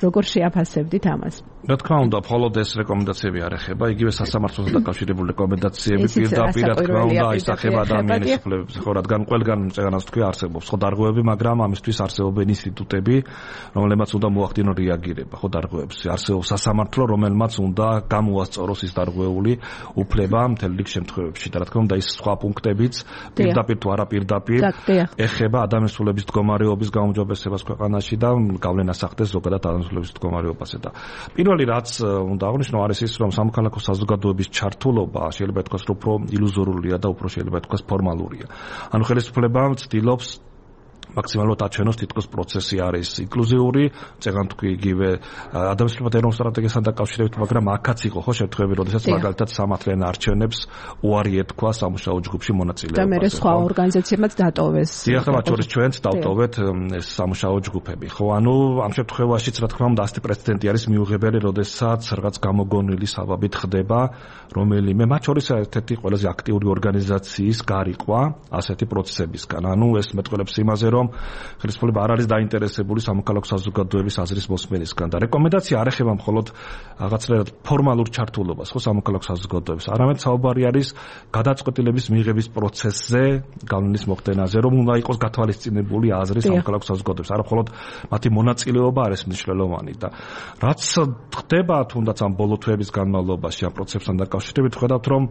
როგორ შეაფასებდით ამას? რა თქმა უნდა, მხოლოდ ეს რეკომენდაციები არ ეხება, იგივე სასამართლოსთან დაკავშირებული რეკომენდაციები პირდაპირ რა თქმა უნდა აისახება ადამიანის უფლებებს, ხო, რადგან ყველგან წეგანას თქვი არსებობს ხო დარღვევები, მაგრამ ამისთვის არსებობენ ინსტიტუტები, რომლებმაც უნდა მოახდინონ რეაგირება, ხო დარღვევებში. არსებობს სასამართლო, რომელმაც უნდა გამოასწოროს ის დარღვეული უფლება მთელ რიგ შემთხვევებში. და რა თქმა უნდა, ის სხვა პუნქტებიც პირდაპირ თუ არა პირდაპირ ეხება ადამიანის უფლების მდგომარეობის გაუმჯობესებას ქვეყანაში და გავლენას ახდენს ზოგადად ადამიანის უფლების მდგომარეობაზე და პირველი რაც უნდა აღნიშნო არის ის, რომ სამოქალაქო საზოგადოების ჩართულობა შეიძლება ითქვას, რომ უფრო ილუზორულია და უფრო შეიძლება ითქვას ფორმალურია. ანუ ხელისუფლება ცდილობს მაქსიმალურად აჩვენოს თითქოს პროცესი არის ინკლუზიური, წეგან თქვი იგივე ადამიანთა ეროვნულ სტრატეგიასთან დაკავშირებით, მაგრამ აქაც იყო ხო შემთხვევები, როდესაც მაგალითად სამართლიან არჩევნებს უარი ეთქვა სამუშაო ჯგუფში მონაწილეობას. და მე სხვა ორგანიზაციებმაც დატოვეს. დიახ, მათ შორის ჩვენც დავტოვეთ ეს სამუშაო ჯგუფები. ხო, ანუ ამ შემთხვევაშიც რა თქმა უნდა ასეთი პრეცედენტი არის მიუღებელი, როდესაც რაღაც გამოგონილი საბაბით ხდება რომელიმე მათ შორის ერთ-ერთი ყველაზე აქტიური ორგანიზაციის გარიყვა ასეთი პროცესებისგან. ანუ ეს მეტყველებს იმაზე, რომ ხელისუფლება არ არის დაინტერესებული სამოქალაქო საზოგადოების აზრის მოსმენისგან და რეკომენდაცია არ ეხება მხოლოდ რაღაცნაირად ფორმალურ ჩართულობას ხო სამოქალაქო საზოგადოების, არამედ საუბარი არის გადაწყვეტილების მიღების პროცესზე, გავლენის მოხდენაზე, რომ უნდა იყოს გათვალისწინებული აზრი სამოქალაქო საზოგადოების, არა მხოლოდ მათი მონაწილეობა არის მნიშვნელოვანი და რაც ხდება თუნდაც ამ ბოლო თვეების განმავლობაში ამ პროცესთან დაკავშირებით ხედავთ, რომ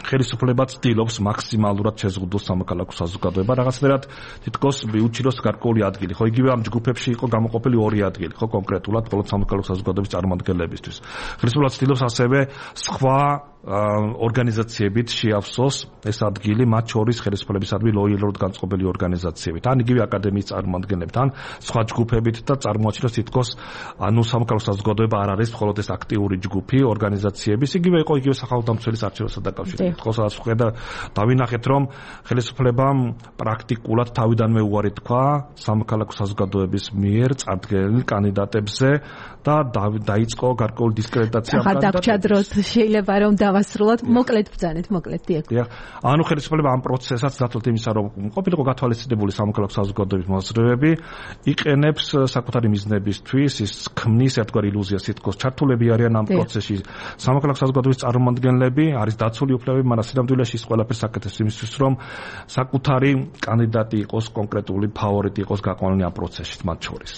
ხელისუფლება ცდილობს მაქსიმალურად შეზღუდოს სამოქალაქო საზოგადოება, რაღაცნაირად თითქოს მიუჩინოს გარკვეული ადგილი. ხო, იგივე ამ ჯგუფებში იყო გამოყოფილი 2 ადგილი, ხო, კონკრეტულად მხოლოდ სამოქალაქო საზოგადოების წარმომადგენლებისთვის. ხელისუფლება ცდილობს ასევე სხვა ორგანიზაციებით შეავსოს ეს ადგილი, მათ შორის ხელისუფლებისადმი ლოიალურად განწყობილი ორგანიზაციებით, ან იგივე აკადემიის წარმომადგენლებით, ან სხვა ჯგუფებით და წარმოაჩინოს თითქოს ანუ სამოქალაქო საზოგადოება არ არის მხოლოდ ეს აქტიური ჯგუფი ორგანიზაციების, იგივე იყო იგივე სახელმწიფოს არჩევნებთან დაკავშირებით. ხო, სადაც ხედა დავინახეთ, რომ ხელისუფლებამ პრაქტიკულად თავიდანვე უარი თქვა სამოქალაქო საზოგადოების მიერ წარდგენილ კანდიდატებზე და დაიწყო გარკვეული დისკრედიტაცია ამ კანდიდატებს. შეიძლება რომ დავასრულოთ, მოკლედ ბრძანეთ, მოკლედ დიახ. ანუ ხელისუფლება ამ პროცესსაც დათვლით იმისა, რომ ყოფილიყო გათვალისწინებული სამოქალაქო საზოგადოების მოსაზრებები, იყენებს საკუთარი მიზნებისთვის, ის ქმნის ერთგვარ ილუზიას, თითქოს ჩართულები არიან ამ პროცესში სამოქალაქო საზოგადოების წარმომადგენლები, არის დაცული უფლებები, მაგრამ სინამდვილეში ის ყველაფერს აკეთებს იმისთვის, რომ საკუთარი კანდიდატი იყოს, კონკრეტული ფავორიტი იყოს გაყვანილი ამ პროცესში მათ შორის.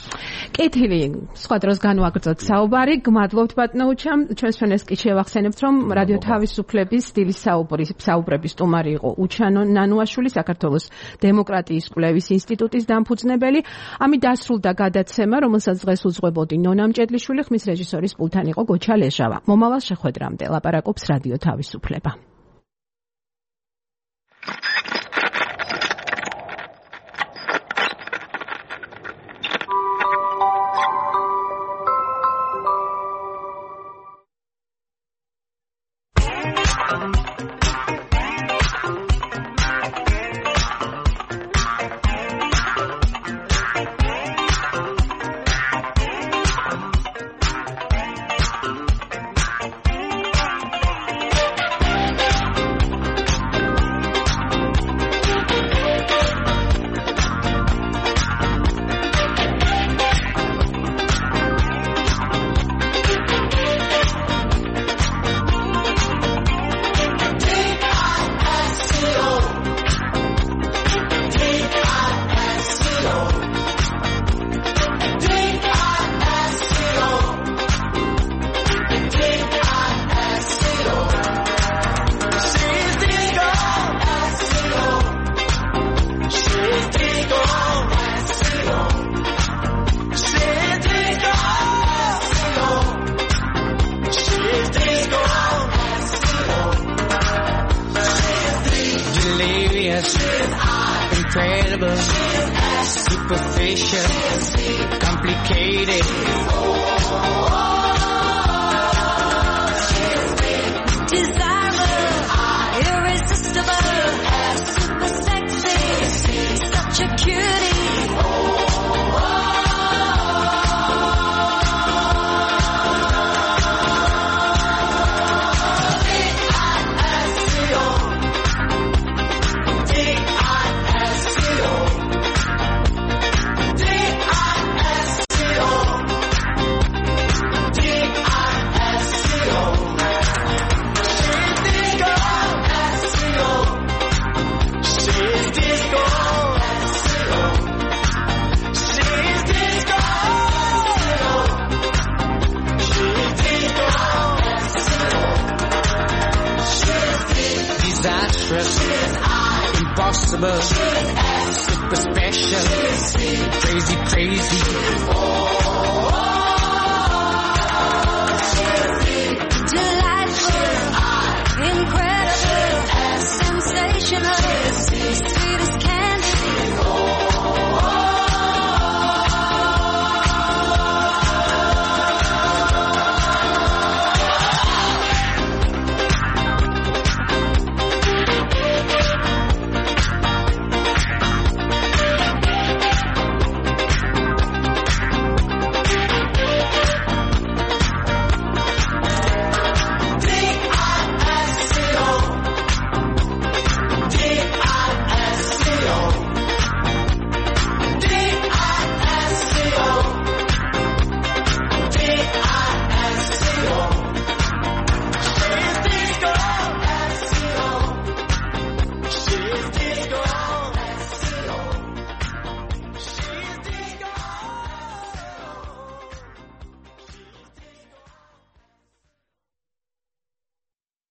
კეთილი, სხვა დროს განვაგრძოთ საუბარი. გმადლობთ ბატონო უჩამ, ჩვენს ფენეს კი შევახსენებთ, რომ რადიო თავისუფლების სტილის საუბრების სტუმარი იყო უჩანო ნანუაშვილი, საქართველოს დემოკრატიის კვლევის ინსტიტუტის დამფუძნებელი. ამით დასრულდა გადაცემა, რომელსაც დღეს უძღვებოდი ნონა მჭედლიშვილი, ხმის რეჟისორის პულთან იყო გოჩა ლეჟავა. მომავალ შეხვედრამდე ლაპარაკობს რადიო თავისუფლება. incredible, superficial, complicated. Desirable, irresistible, super sexy, such a cutie. Impossible, super special, crazy, crazy.